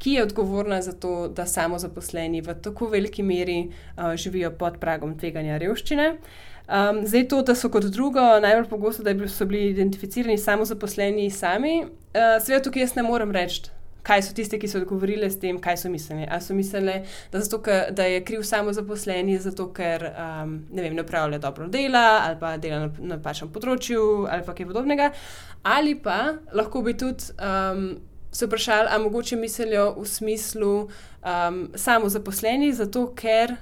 ki je odgovorna za to, da samozaposleni v tako veliki meri uh, živijo pod pragom tveganja revščine. Um, zdaj to, da so kot drugo najbolj pogosto, da so bili identificirani samozaposleni sami, uh, seveda tukaj jaz ne morem reči, kaj so tiste, ki so odgovorili s tem, kaj so mislili. A so mislili, da, zato, ker, da je kriv samozaposleni zato, ker um, ne vem, ne upravlja dobro dela ali pa dela na, na pačnem področju ali pa kaj podobnega. Ali pa lahko bi tudi um, se vprašali, a mogoče mislijo v smislu um, samozaposleni zato, ker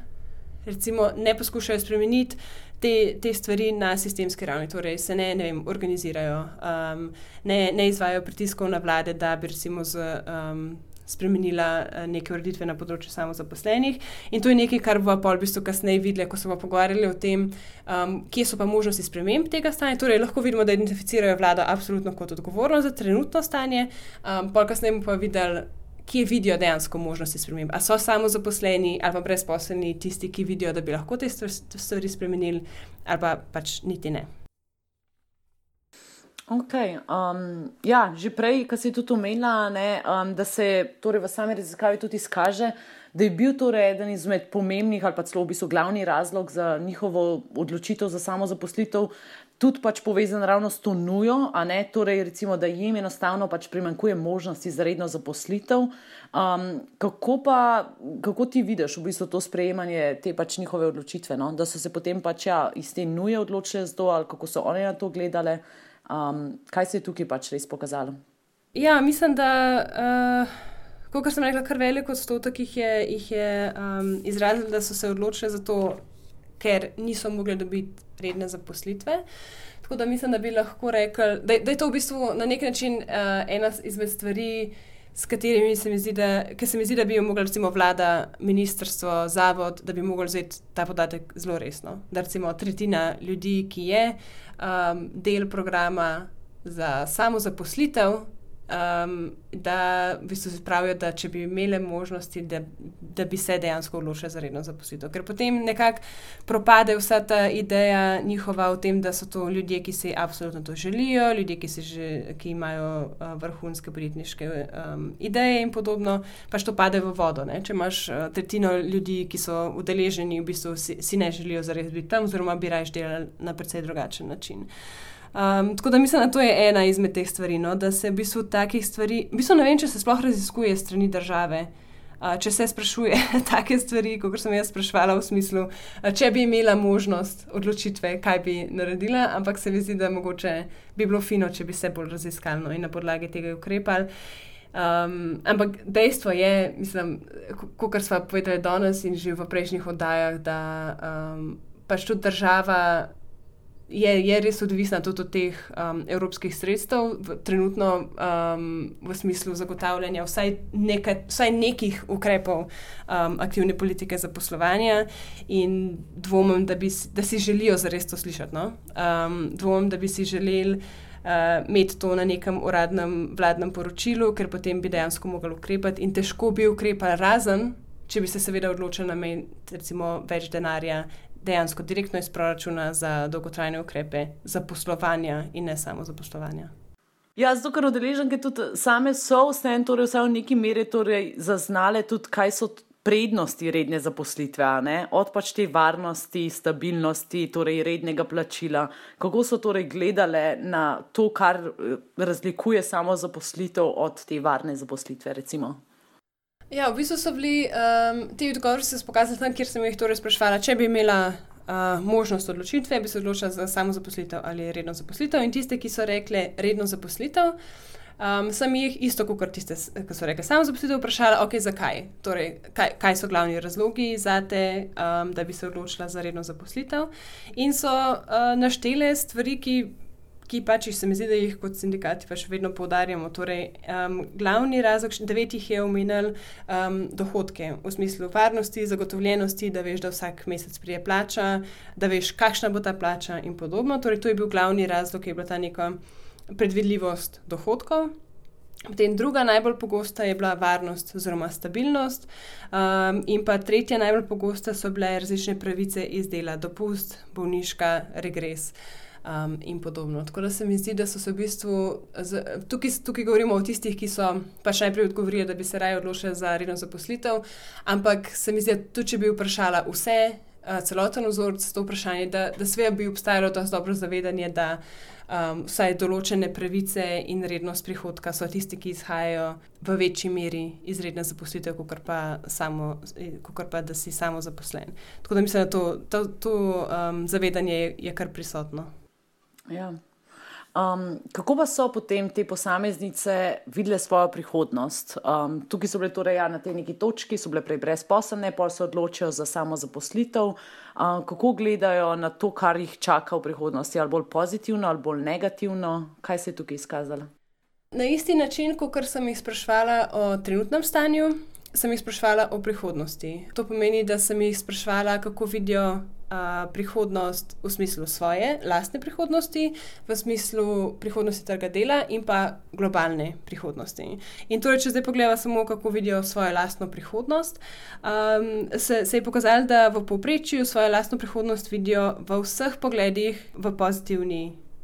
recimo ne poskušajo spremeniti Te, te stvari na sistemski ravni, torej se ne, ne vem, organizirajo, um, ne, ne izvajajo pritiskov na vlade, da bi recimo z, um, spremenila neke ureditve na področju samozaposlenih. In to je nekaj, kar bo pol v bistvu kasneje videli, ko so pa pogovarjali o tem, um, kje so pa možnosti sprememb tega stanja. Torej lahko vidimo, da identificirajo vlado absolutno kot odgovorno za trenutno stanje, um, pol kasneje bomo pa videli, kje vidijo dejansko možnosti sprememb. A so samozaposleni ali pa brezposelni tisti, ki vidijo, da bi lahko te stvari spremenili, ali pa pač niti ne. Ok, um, ja, že prej, ko si tudi omenila, ne, um, da se torej v sami raziskavi tudi izkaže, da je bil torej eden izmed pomembnih ali pa celo v bistvu glavni razlog za njihovo odločitev za samozaposlitev tudi pač povezan ravno s to nujo, a ne, torej recimo, da jim enostavno pač primanjkuje možnosti za redno zaposlitev. Um, kako pa, kako ti vidiš v bistvu to sprejemanje te pač njihove odločitve, no? Da so se potem pač ja, iz te nuje odločili za to ali kako so oni na to gledali, um, kaj se je tukaj pač res pokazalo? Ja, mislim, da uh, kot sem rekla, kar veliko odstotek jih je, jih je um, izrazili, da so se odločili za to, ker niso mogli dobiti redne zaposlitve. Tako da mislim, da bi lahko rekli, da, da je to v bistvu na nek način uh, ena izmed stvari, s katerimi se mi zdi, da, ker se mi zdi, da bi jo mogla recimo vlada, ministrstvo, zavod, da bi mogli vzeti ta podatek zelo resno. Da recimo tretjina ljudi, ki je um, del programa za samozaposlitev, Um, da v bistvu pravijo, da če bi imele možnosti, da, da bi se dejansko odločile za redno zaposlitev. Ker potem nekako propade vsa ta ideja njihova o tem, da so to ljudje, ki si absolutno to želijo, ljudje, ki, si že, ki imajo uh, vrhunske podjetniške um, ideje in podobno, pač to pade v vodo. Ne? Če imaš uh, tretjino ljudi, ki so udeleženi, v bistvu si, si ne želijo zares biti tam, oziroma bi raje delali na precej drugačen način. Um, tako da mislim, da to je ena izmed teh stvari, no? Da se v bistvu takih stvari, v bistvu ne vem, če se sploh raziskuje strani države, uh, če se sprašuje take stvari, kot sem jaz sprašvala v smislu, uh, če bi imela možnost odločitve, kaj bi naredila, ampak se mi zdi, da mogoče bi bilo fino, če bi se bolj raziskalno in na podlagi tega ukrepali. Um, ampak dejstvo je, mislim, kot smo povedali danes in že v prejšnjih oddajah, da um, pač tudi država Je, je res odvisna tudi od teh um, evropskih sredstev, v, trenutno um, v smislu zagotavljanja vsaj, neka, vsaj nekih ukrepov um, aktivne politike zaposlovanja in dvomim, da, bi, da si želijo zares to slišati. No? Um, dvomim, da bi si želeli uh, imeti to na nekem uradnem vladnem poročilu, ker potem bi dejansko mogli ukrepati in težko bi ukrepali razen, če bi se seveda odločili nameniti recimo več denarja dejansko direktno iz proračuna za dolgotrajne ukrepe zaposlovanja in ne samo zaposlovanja. Ja, zato, ker udeleženke tudi same so vse, torej vse v neki meri torej zaznale tudi, kaj so prednosti redne zaposlitve, ne? Od pač te varnosti, stabilnosti, torej rednega plačila. Kako so torej gledale na to, kar razlikuje samo zaposlitev od te varne zaposlitve, recimo? Ja, v bistvu so bili um, ti odgovori se pokazali tam, kjer sem jih torej sprašvala, če bi imela uh, možnost odločitve, bi se odločila za samo zaposlitev ali redno zaposlitev in tiste, ki so rekle redno zaposlitev, um, sem jih isto kot tiste, ki so rekle samo zaposlitev, vprašala, ok, zakaj? Torej, kaj, kaj so glavni razlogi za te, um, da bi se odločila za redno zaposlitev in so uh, naštele stvari, ki ki pač se mi zdi, da jih kot sindikati pač vedno poudarjamo. Torej, um, glavni razlog, devet jih je omenil um, dohodke, v smislu varnosti, zagotovljenosti, da veš, da vsak mesec prije plača, da veš, kakšna bo ta plača in podobno. Torej, to je bil glavni razlog, je bila ta neka predvidljivost dohodkov. Potem druga najbolj pogosta je bila varnost oziroma stabilnost um, in pa tretja najbolj pogosta so bile različne pravice iz dela, dopust, bolniška, regres. Um, in podobno. Tako da se mi zdi, da so se v bistvu, z, tukaj, tukaj govorimo o tistih, ki so pač najprej odgovorili, da bi se raje odločili za redno zaposlitev, ampak se mi zdi, tudi če bi vprašala vse, uh, celoten vzorc, to vprašanje, da, da sve bi obstajalo to dobro zavedanje, da um, vsaj določene pravice in rednost prihodka so tisti, ki izhajajo v večji meri iz redne zaposlitev, kakor pa, samo, kakor pa da si samo zaposlen. Tako da mislim, da to, to, to um, zavedanje je, je kar prisotno. Ja. Um, kako pa so potem te posameznice videle svojo prihodnost? Um, tukaj so bile torej ja, na tej neki točki, so bile prej brezposelne, pol se odločijo za samo zaposlitev. Um, kako gledajo na to, kar jih čaka v prihodnosti? Ali bolj pozitivno, ali bolj negativno? Kaj se je tukaj izkazalo? Na isti način, kot sem jih sprašvala o trenutnem stanju, sem jih sprašvala o prihodnosti. To pomeni, da sem jih sprašvala, kako vidijo uh, prihodnost v smislu svoje, lastne prihodnosti, v smislu prihodnosti trga dela in pa globalne prihodnosti. In torej, če zdaj pogledamo samo, kako vidijo svojo lastno prihodnost, um, se, se je pokazalo, da v povprečju svojo lastno prihodnost vidijo v vseh pogledih v pozitivni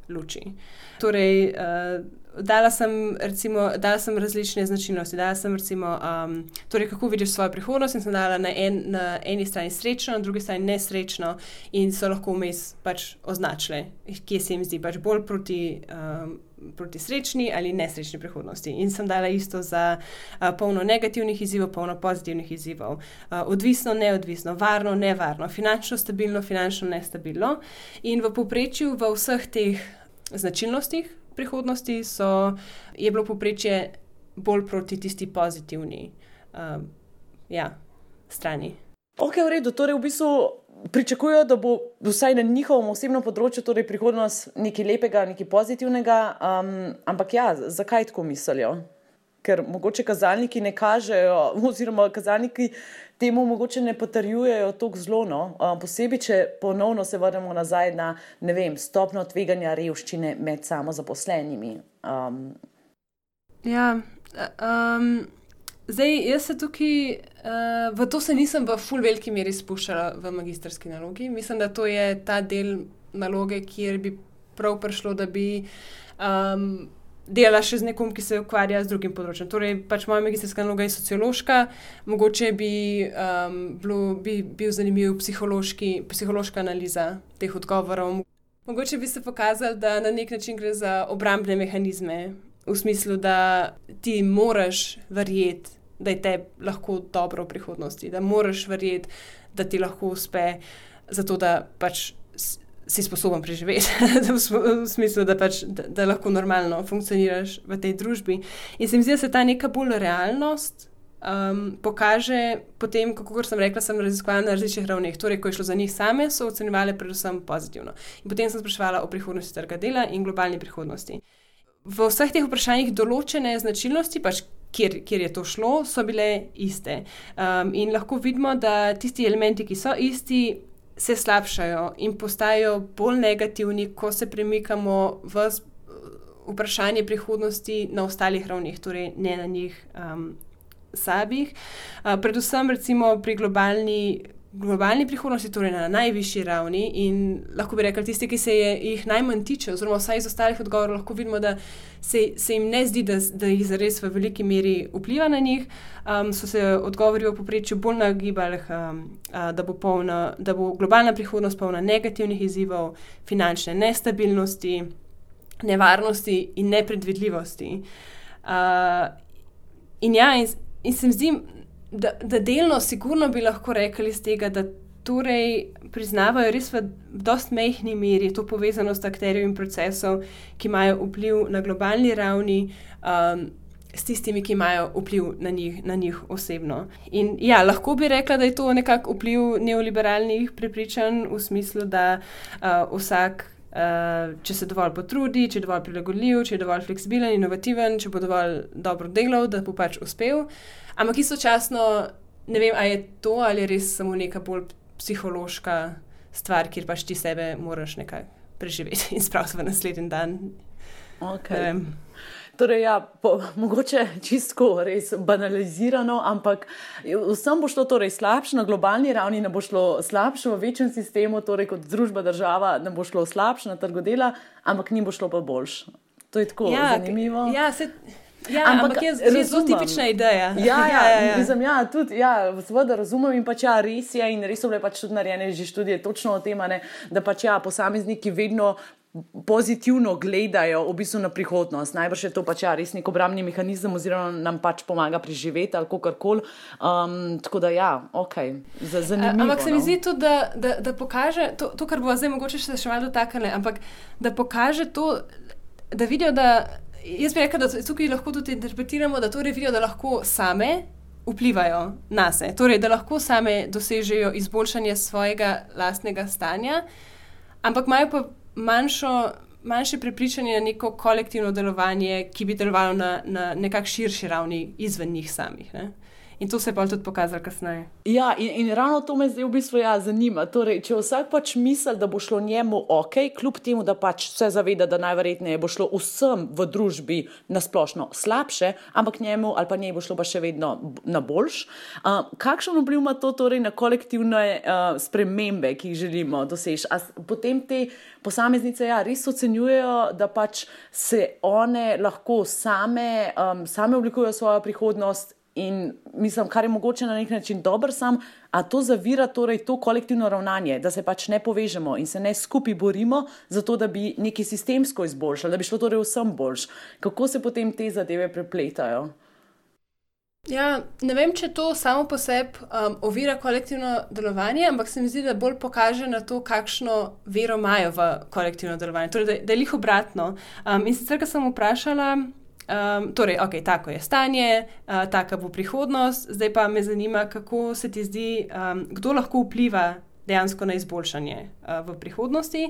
luči. Torej, uh, Dala sem, recimo, dala sem različne značilnosti. Dala sem, recimo, um, torej, kako vidiš svojo prihodnost in sem dala na, en, na eni strani srečno, na drugi strani nesrečno in so lahko vmes pač označile, kje se jim zdi pač bolj proti, um, proti srečni ali nesrečni prihodnosti. In sem dala isto za uh, polno negativnih izzivov, polno pozitivnih izzivov. Uh, odvisno, neodvisno, varno, nevarno, finančno stabilno, finančno nestabilno. In v povprečju v vseh teh značilnostih prihodnosti so, je bilo povprečje bolj proti tisti pozitivni uh, ja, strani. Ok, v redu. Torej v bistvu pričakujejo, da bo vsaj na njihovem osebnem področju torej prihodnost nekaj lepega, nekaj pozitivnega, um, ampak ja, zakaj tako mislijo? Ker mogoče kazalniki ne kažejo, oziroma kazalniki temu mogoče ne potrjujejo toliko zelo, no? Um, posebej, če ponovno se vrnemo nazaj na, ne vem, stopnjo tveganja revščine med samozaposlenimi. Um. Ja, um, zdaj jaz se tukaj, uh, v to se nisem v ful veliki meri spuščala v magistrski nalogi. Mislim, da to je ta del naloge, kjer bi prav prišlo, da bi um, delala še z nekom, ki se ukvarja z drugim področjem. Torej, pač moja magistrska naloga je sociološka, mogoče bi, um, bilo, bi bil zanimiv psihološka analiza teh odgovorov. Mogoče bi se pokazali, da na nek način gre za obrambne mehanizme, v smislu, da ti moraš verjeti, da je tebi lahko dobro v prihodnosti, da moraš verjeti, da ti lahko uspe, zato da pač si sposoben preživeti, v smislu, da, pač, da, da lahko normalno funkcioniraš v tej družbi. In se mi zdi, da se ta neka bolj realnost um, pokaže potem, kako sem rekla, sem raziskovala na različnih ravneh. Torej, ko je šlo za njih same, so ocenjevali predvsem pozitivno. In potem sem spraševala o prihodnosti trga dela in globalni prihodnosti. V vseh teh vprašanjih določene značilnosti, pač kjer, kjer je to šlo, so bile iste. Um, in lahko vidimo, da tisti elementi, ki so isti, se slabšajo in postajajo bolj negativni, ko se premikamo v vprašanje prihodnosti na ostalih ravneh, torej ne na njih um, samih. Uh, predvsem recimo pri globalni, globalni prihodnosti, torej na najvišji ravni in lahko bi rekli tisti, ki se je jih najmanj tiče, oziroma vsaj iz ostalih odgovorov lahko vidimo, da se, se jim ne zdi, da, da jih zares v veliki meri vpliva na njih. Um, so se odgovori v povprečju bolj nagibali, um, uh, da bo polna, da bo globalna prihodnost polna negativnih izzivov, finančne nestabilnosti, nevarnosti in nepredvidljivosti. Uh, in ja, in, in se mi zdi, da, da delno sigurno bi lahko rekli iz tega, da torej priznavajo res v dost mehni meri to povezanost akterjev in procesov, ki imajo vpliv na globalni ravni, um, s tistimi, ki imajo vpliv na njih, na njih osebno. In ja, lahko bi rekla, da je to nekako vpliv neoliberalnih prepričanj v smislu, da uh, vsak, uh, če se dovolj potrudi, če je dovolj prilagodljiv, če je dovolj fleksibilen, inovativen, če bo dovolj dobro delal, da bo pač uspel. Ampak istočasno ne vem, a je to ali je res samo neka bolj psihološka stvar, kjer pač ti sebe moraš nekaj preživeti in spraviti v naslednji dan. Okay. Torej, ja, po, mogoče čisto res banalizirano, ampak vsem bo šlo torej slabše, na globalni ravni ne bo šlo slabše, v večjem sistemu, torej kot družba, država, ne bo šlo slabše na trgu dela, ampak njim bo šlo pa boljše. To je tako ja, zanimivo. Ja, se... Ja, ampak, ampak je, je zelo tipična ideja. Ja, ja, ja, ja. Mislim, ja, tudi, ja, seveda razumem in pač ja, res je in res so bile pač tudi narejene že študije točno o tem, ne, da pač ja, posamezniki vedno pozitivno gledajo v bistvu na prihodnost. Najbrž je to pač ja, res nek obrambni mehanizem oziroma nam pač pomaga preživeti ali kakorkoli. Um, tako da ja, ok, zanimivo. Ampak se mi no? zdi tudi, da, da, da pokaže, to, to kar bo zdaj mogoče še še malo dotaknili, ampak da pokaže to, da vidijo, da jaz bi rekla, da tukaj lahko tudi interpretiramo, da torej vidijo, da lahko same vplivajo nase. Torej, da lahko same dosežejo izboljšanje svojega lastnega stanja, ampak imajo pa manjšo, manjše prepričanje na neko kolektivno delovanje, ki bi delovalo na, na nekak širši ravni izven njih samih. Ne? In to se je pa tudi pokazalo kasneje. Ja, in, in ravno to me zdaj v bistvu ja zanima. Torej, če vsak pač misli, da bo šlo njemu ok, kljub temu, da pač se zaveda, da najverjetneje bo šlo vsem v družbi nasplošno slabše, ampak njemu ali pa njej bo šlo pa še vedno na boljš. Uh, kakšen vpliv ima to torej na kolektivne uh, spremembe, ki jih želimo doseči? A potem te posameznice ja, res ocenjujejo, da pač se one lahko same, um, same oblikujejo svojo prihodnost. In mislim, kar je mogoče na nek način dober sam, a to zavira torej to kolektivno ravnanje, da se pač ne povežemo in se ne skupaj borimo za to, da bi nekaj sistemsko izboljšali, da bi šlo torej vsem boljš. Kako se potem te zadeve prepletajo? Ja, ne vem, če to samo po sebi um, ovira kolektivno delovanje, ampak se mi zdi, da bolj pokaže na to, kakšno vero imajo v kolektivno delovanje. Torej, da, da je lih obratno. Um, in sicer, ko sem vprašala, Um, torej, ok, tako je stanje, uh, taka bo prihodnost, zdaj pa me zanima, kako se ti zdi, um, kdo lahko vpliva dejansko na izboljšanje uh, v prihodnosti.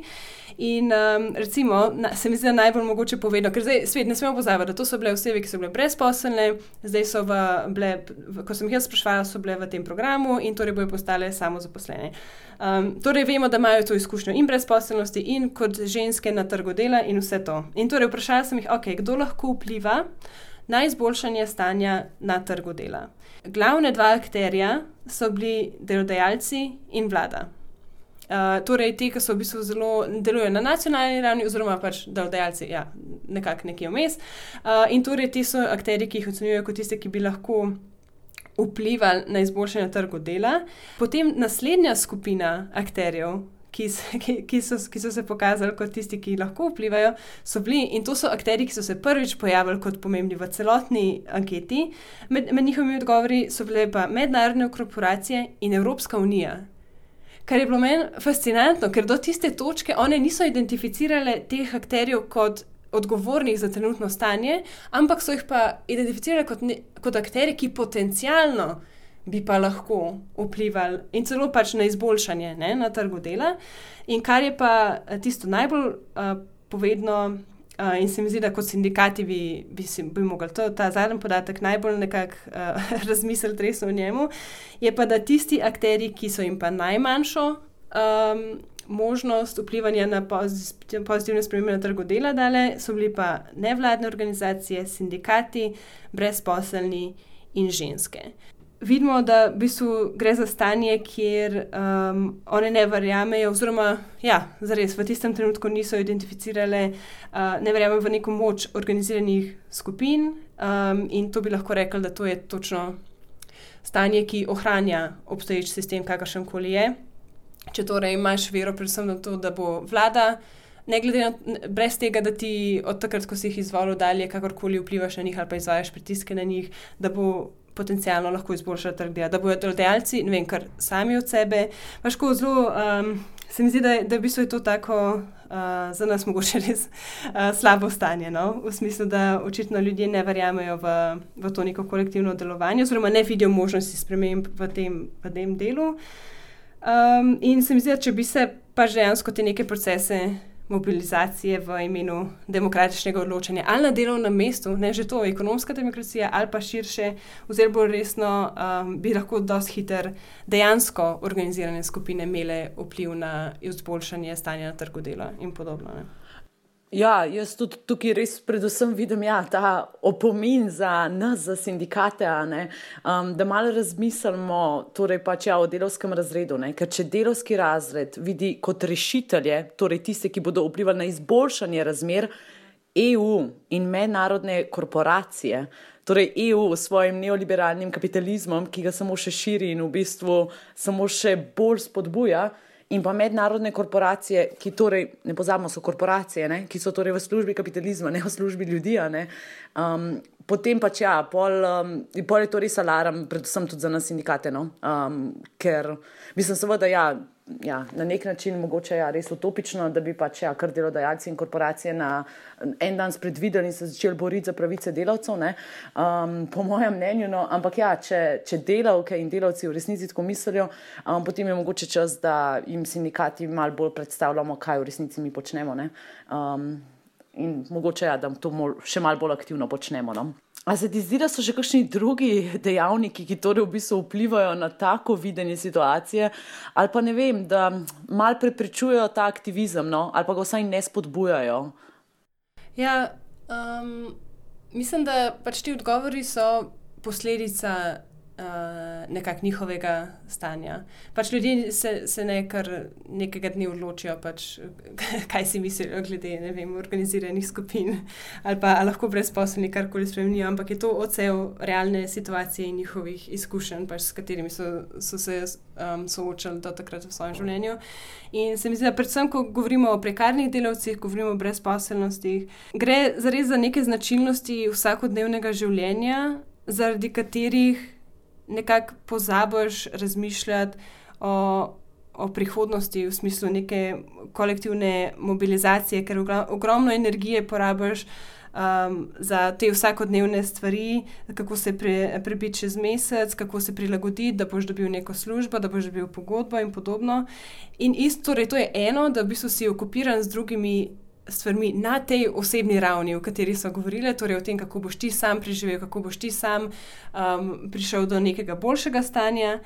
In um, recimo, na, se mi zdi najbolj mogoče povedno, ker zdaj svet ne smemo pozabiti, da to so bile osebe, ki so bile brezposelne, zdaj so v, bile, v, ko sem jih jaz sprašvala, so bile v tem programu in torej bojo postale samozaposlene. Um, torej vemo, da imajo to izkušnjo in brezposelnosti in kot ženske na trgu dela in vse to. In torej vprašala sem jih, ok, kdo lahko vpliva na izboljšanje stanja na trgu dela. Glavne dva akterja so bili delodajalci in vlada. Uh, torej, te, ki so v bistvu zelo delujejo na nacionalni ravni, oziroma pač delodajalci, ja, nekako nekje vmes. Uh, in torej, ti so akterji, ki jih ocenjujejo kot tiste, ki bi lahko vplivali na izboljšanje trgu dela. Potem naslednja skupina akterjev, ki, ki, ki, so, ki so se pokazali kot tisti, ki lahko vplivajo, so bili, in to so akterji, ki so se prvič pojavili kot pomembni v celotni anketi. Med, med njihovimi odgovori so bile pa mednarodne korporacije in Evropska unija. Kar je bilo meni fascinantno, ker do tiste točke one niso identificirale teh akterjev kot odgovornih za trenutno stanje, ampak so jih pa identificirale kot, ne, kot akterje, ki potencialno bi pa lahko vplivali in celo pač na izboljšanje, ne, na trgu dela. In kar je pa tisto najbolj uh, povedno, uh, in se mi zdi, da kot sindikati bi, bi, si, bi mogli to, ta zadnji podatek najbolj nekako uh, razmisliti resno o njemu, je pa, da tisti akterji, ki so jim pa najmanjšo um, možnost vplivanja na pozitivne spremembe na trgu dela dale, so bili pa nevladne organizacije, sindikati, brezposelni in ženske. Vidimo, da v bistvu gre za stanje, kjer um, one ne verjamejo, oziroma ja, zares v tistem trenutku niso identificirale, uh, ne verjamejo v neko moč organiziranih skupin um, in to bi lahko rekli, da to je točno stanje, ki ohranja obstoječ sistem, kakršen koli je. Če torej imaš vero predvsem na to, da bo vlada, ne glede na, brez tega, da ti od takrat, ko si jih izvolil dalje, kakorkoli vplivaš na njih ali pa izvajaš pritiske na njih, da bo potencialno lahko izboljšati trg dela, da bojo delodajalci, ne vem, kar sami od sebe. Vaško zelo, um, se mi zdi, da, da v bistvu je to tako uh, za nas mogoče res uh, slabo stanje, no? V smislu, da očitno ljudje ne verjamejo v, v to neko kolektivno delovanje, oziroma ne vidijo možnosti sprememb v tem, v tem delu. Um, in se mi zdi, da če bi se pa dejansko te neke procese mobilizacije v imenu demokratičnega odločanja ali na delovnem mestu, ne že to, ekonomska demokracija ali pa širše, oziroma bolj resno, um, bi lahko dosti hiter dejansko organizirane skupine imele vpliv na izboljšanje stanja na trgu dela in podobno. Ne? Ja, jaz tudi tukaj res predvsem vidim ja, ta opomin za nas, za sindikate, ne, um, da malo razmislimo torej pač ja, o delovskem razredu, ne, ker če delovski razred vidi kot rešitelje, torej tiste, ki bodo vplivali na izboljšanje razmer, E U in mednarodne korporacije, torej E U s svojim neoliberalnim kapitalizmom, ki ga samo še širi in v bistvu samo še bolj spodbuja, in pa mednarodne korporacije, ki torej, ne pozabimo, so korporacije, ne, ki so torej v službi kapitalizma, ne v službi ljudi, ne, um, potem pač ja, pol, um, pol je to res alarm, predvsem tudi za nas sindikate, no, um, ker mislim seveda, ja, ja, na nek način mogoče ja, res utopično, da bi pač ja, kar delodajalci in korporacije na en dan spredvideli in se začeli boriti za pravice delavcev, ne, um, po mojem mnenju, no, ampak ja, če, če delavke in delavci v resnici tako mislijo, um, potem je mogoče čas, da jim sindikati malo bolj predstavljamo, kaj v resnici mi počnemo, ne, um, in mogoče ja, da to mol, še malo bolj aktivno počnemo, no. A se ti zdi, da so še kakšni drugi dejavniki, ki torej v bistvu vplivajo na tako videnje situacije, ali pa ne vem, da malo preprečujejo ta aktivizem, no? Ali pa ga vsaj ne spodbujajo? Ja, um, mislim, da pač ti odgovori so posledica uh, nekak njihovega stanja. Pač ljudje se, se ne kar nekega dne odločijo, pač, kaj si mislijo glede, ne vem, organiziranih skupin ali pa ali lahko brezposelni karkoli spremenijo, ampak je to odsev realne situacije in njihovih izkušenj, pač, s katerimi so, so se um, soočali do takrat v svojem življenju. In se mi zdi, da predvsem, ko govorimo o prekarnih delavcih, govorimo o brezposelnostih, gre zares za neke značilnosti vsakodnevnega življenja, zaradi katerih nekako pozabiš razmišljati o, o prihodnosti v smislu neke kolektivne mobilizacije, ker ogromno energije porabiš um, za te vsakodnevne stvari, kako se pre, prebiti čez mesec, kako se prilagoditi, da boš dobil neko službo, da boš dobil pogodbo in podobno. In isto, torej to je eno, da v bistvu si okupiran z drugimi stvarmi na tej osebni ravni, o kateri so govorile, torej o tem, kako boš ti sam preživel, kako boš ti sam um, prišel do nekega boljšega stanja.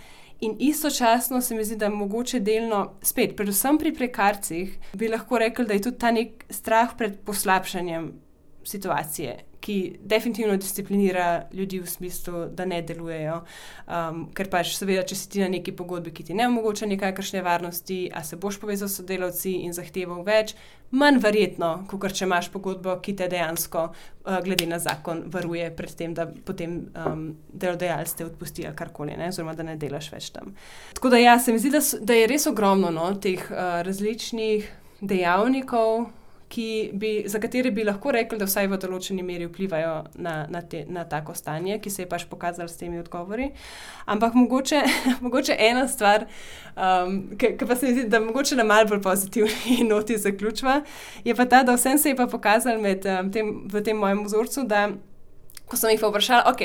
In istočasno se mi zdi, da mogoče delno, spet, predvsem pri prekarcih, bi lahko rekli, da je tudi ta nek strah pred poslabšanjem situacije, ki definitivno disciplinira ljudi v smislu, da ne delujejo. Um, ker pač seveda, če si ti na neki pogodbi, ki ti ne omogoča nekakršne varnosti, a se boš povezal s sodelavci in zahteval več, manj verjetno, kot če imaš pogodbo, ki te dejansko uh, glede na zakon varuje pred tem, da potem um, delodajalec te odpusti ali karkoli, ne, oziroma da ne delaš več tam. Tako da ja, se mi zdi, da, so, da je res ogromno no, teh uh, različnih dejavnikov, ki bi, za katere bi lahko rekli, da vsaj v določeni meri vplivajo na, na, te, na tako stanje, ki se je pač pokazalo s temi odgovori. Ampak mogoče, mogoče ena stvar, um, ki pa se mi zdi, da mogoče na malo bolj pozitivni noti zaključva, je pa ta, da vsem se je pa pokazalo med, um, tem, v tem mojem vzorcu, da ko sem jih pa vprašala, ok,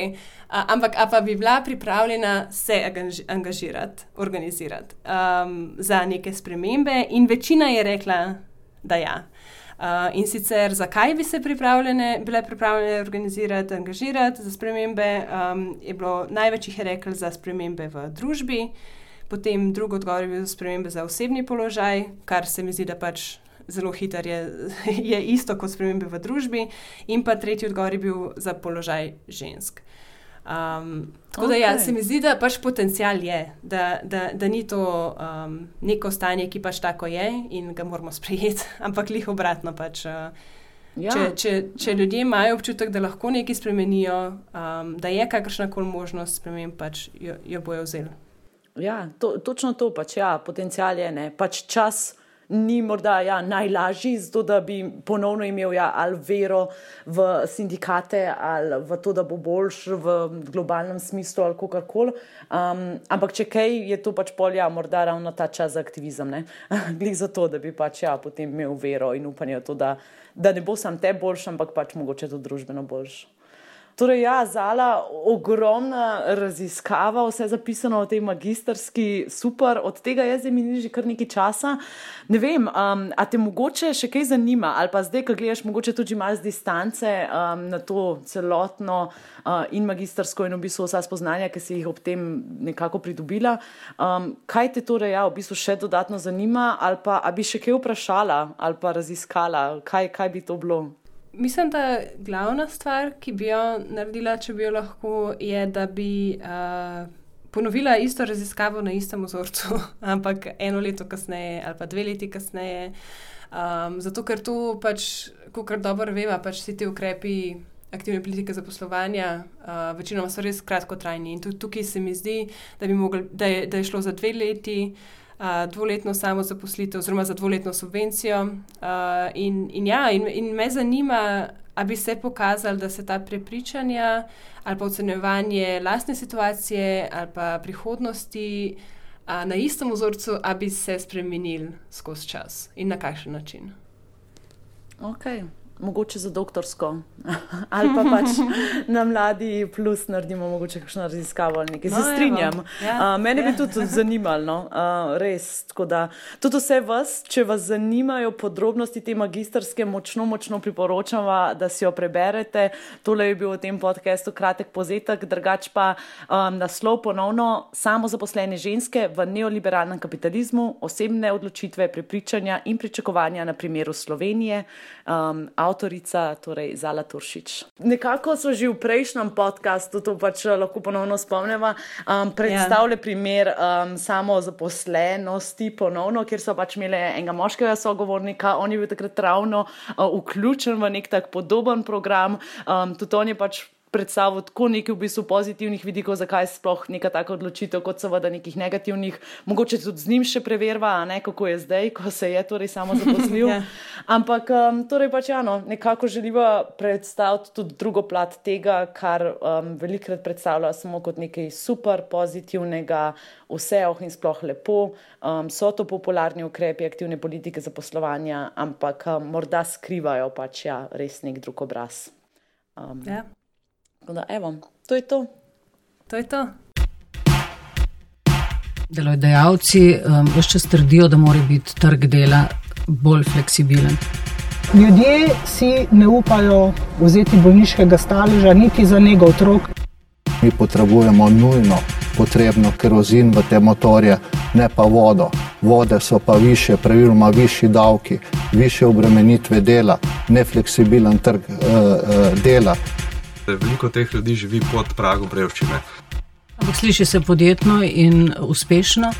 a, ampak a pa bi bila pripravljena se angažirati, organizirati um, za neke spremembe in večina je rekla, da ja. Uh, in sicer, zakaj bi se pripravljene, bile pripravljene organizirati, angažirati za spremembe, um, je bilo največ jih je rekli za spremembe v družbi, potem drugo odgovor je bil za spremembe za osebni položaj, kar se mi zdi, da pač zelo hiter je, je isto kot spremembe v družbi, in pa tretji odgovor je bil za položaj žensk. Um, tako okay. da ja, se mi zdi, da pač potencial je, da, da, da ni to um, neko stanje, ki pač tako je in ga moramo sprejeti, ampak lih obratno pač. Uh, ja. če, če, če ljudje imajo občutek, da lahko nekaj spremenijo, um, da je kakršnakoli možnost sprememb, pač jo, jo bojo vzeli. Ja, to, točno to pač, ja, potencial je, ne, pač čas ni morda ja, najlažji, zato da bi ponovno imel ja, ali vero v sindikate ali v to, da bo boljš v globalnem smislu ali kakorkoli. Um, ampak če kaj, je to pač pol, ja, morda ravno ta čas za aktivizem, ne? Glih za to, da bi pač ja, potem imel vero in upanje v to, da, da ne bo sam te boljš, ampak pač mogoče to družbeno boljš. Torej, ja, Zala, ogromna raziskava, vse zapisano v tej magistrski, super, od tega je zdaj minili že kar nekaj časa. Ne vem, um, a te mogoče še kaj zanima, ali pa zdaj, ko gledaš mogoče tudi malo z distance um, na to celotno uh, in magistrsko in v bistvu vsa spoznanja, ki si jih ob tem nekako pridobila. Um, kaj te torej ja, v bistvu še dodatno zanima, ali pa a bi še kaj vprašala ali pa raziskala, kaj, kaj bi to bilo? Mislim, da glavna stvar, ki bi jo naredila, če bi jo lahko, je, da bi uh, ponovila isto raziskavo na istem vzorcu, ampak eno leto kasneje ali pa dve leti kasneje. Um, zato, ker to pač, kakor dobro veva, pač si ti ukrepi aktivne politike zaposlovanja, uh, večinoma so res kratkotrajni. In tudi tukaj se mi zdi, da, bi mogli, da, je, da je šlo za dve leti, Uh, dvoletno samozaposlitev oziroma za dvoletno subvencijo uh, in, in ja, in, in me zanima, a bi se pokazali, da se ta prepričanja ali pa ocenjevanje lastne situacije ali pa prihodnosti uh, na istem vzorcu, a bi se spremenili skozi čas in na kakšen način. Ok, mogoče za doktorsko ali pa pač na Mladi plus naredimo mogoče kakšno raziskavo ali nekaj. Se no, strinjam. Ja, uh, mene ja. bi tudi zanimalo, no? uh, res. Tako da, tudi vse vas, če vas zanimajo podrobnosti te magistrske, močno, močno priporočam, da si jo preberete. Tole je bil v tem podcastu kratek povzetek, drugač pa um, naslov ponovno Samozaposlene ženske v neoliberalnem kapitalizmu, osebne odločitve, prepričanja in pričakovanja na primeru Slovenije. Um, avtorica, torej Zala Turšič. Nekako so že v prejšnjem podcastu, to pač lahko ponovno spomneva, um, predstavlja ja. primer um, samozaposlenosti ponovno, kjer so pač imeli enega moškega sogovornika, on je bil takrat ravno uh, vključen v nek tak podoben program, um, tudi on je pač predstavil tako nekaj v bistvu pozitivnih vidikov, zakaj je sploh neka taka odločitev, kot seveda nekih negativnih, mogoče tudi z njim še preverva, a ne, kako je zdaj, ko se je torej samo zaposlil. yeah. Ampak um, torej pač ja, no, nekako želiva predstaviti tudi drugo plat tega, kar um, velikrat predstavlja samo kot nekaj super pozitivnega, vse oh in sploh lepo. Um, so to popularni ukrepi aktivne politike zaposlovanja, ampak um, morda skrivajo pač ja, res nek drug obraz. Um, yeah. Da, evo, to je to. To je to. Delodajalci um, vse čas trdijo, da mora biti trg dela bolj fleksibilen. Ljudje si ne upajo vzeti bolniškega staleža niti za nego otrok. Mi potrebujemo nujno potrebno kerozin v te motorje, ne pa vodo. vode so pa više, praviloma višji davki, više obremenitve dela, nefleksibilen trg uh, uh, dela. Veliko teh ljudi živi pod pragom revščine. Ampak sliši se podjetno in uspešno.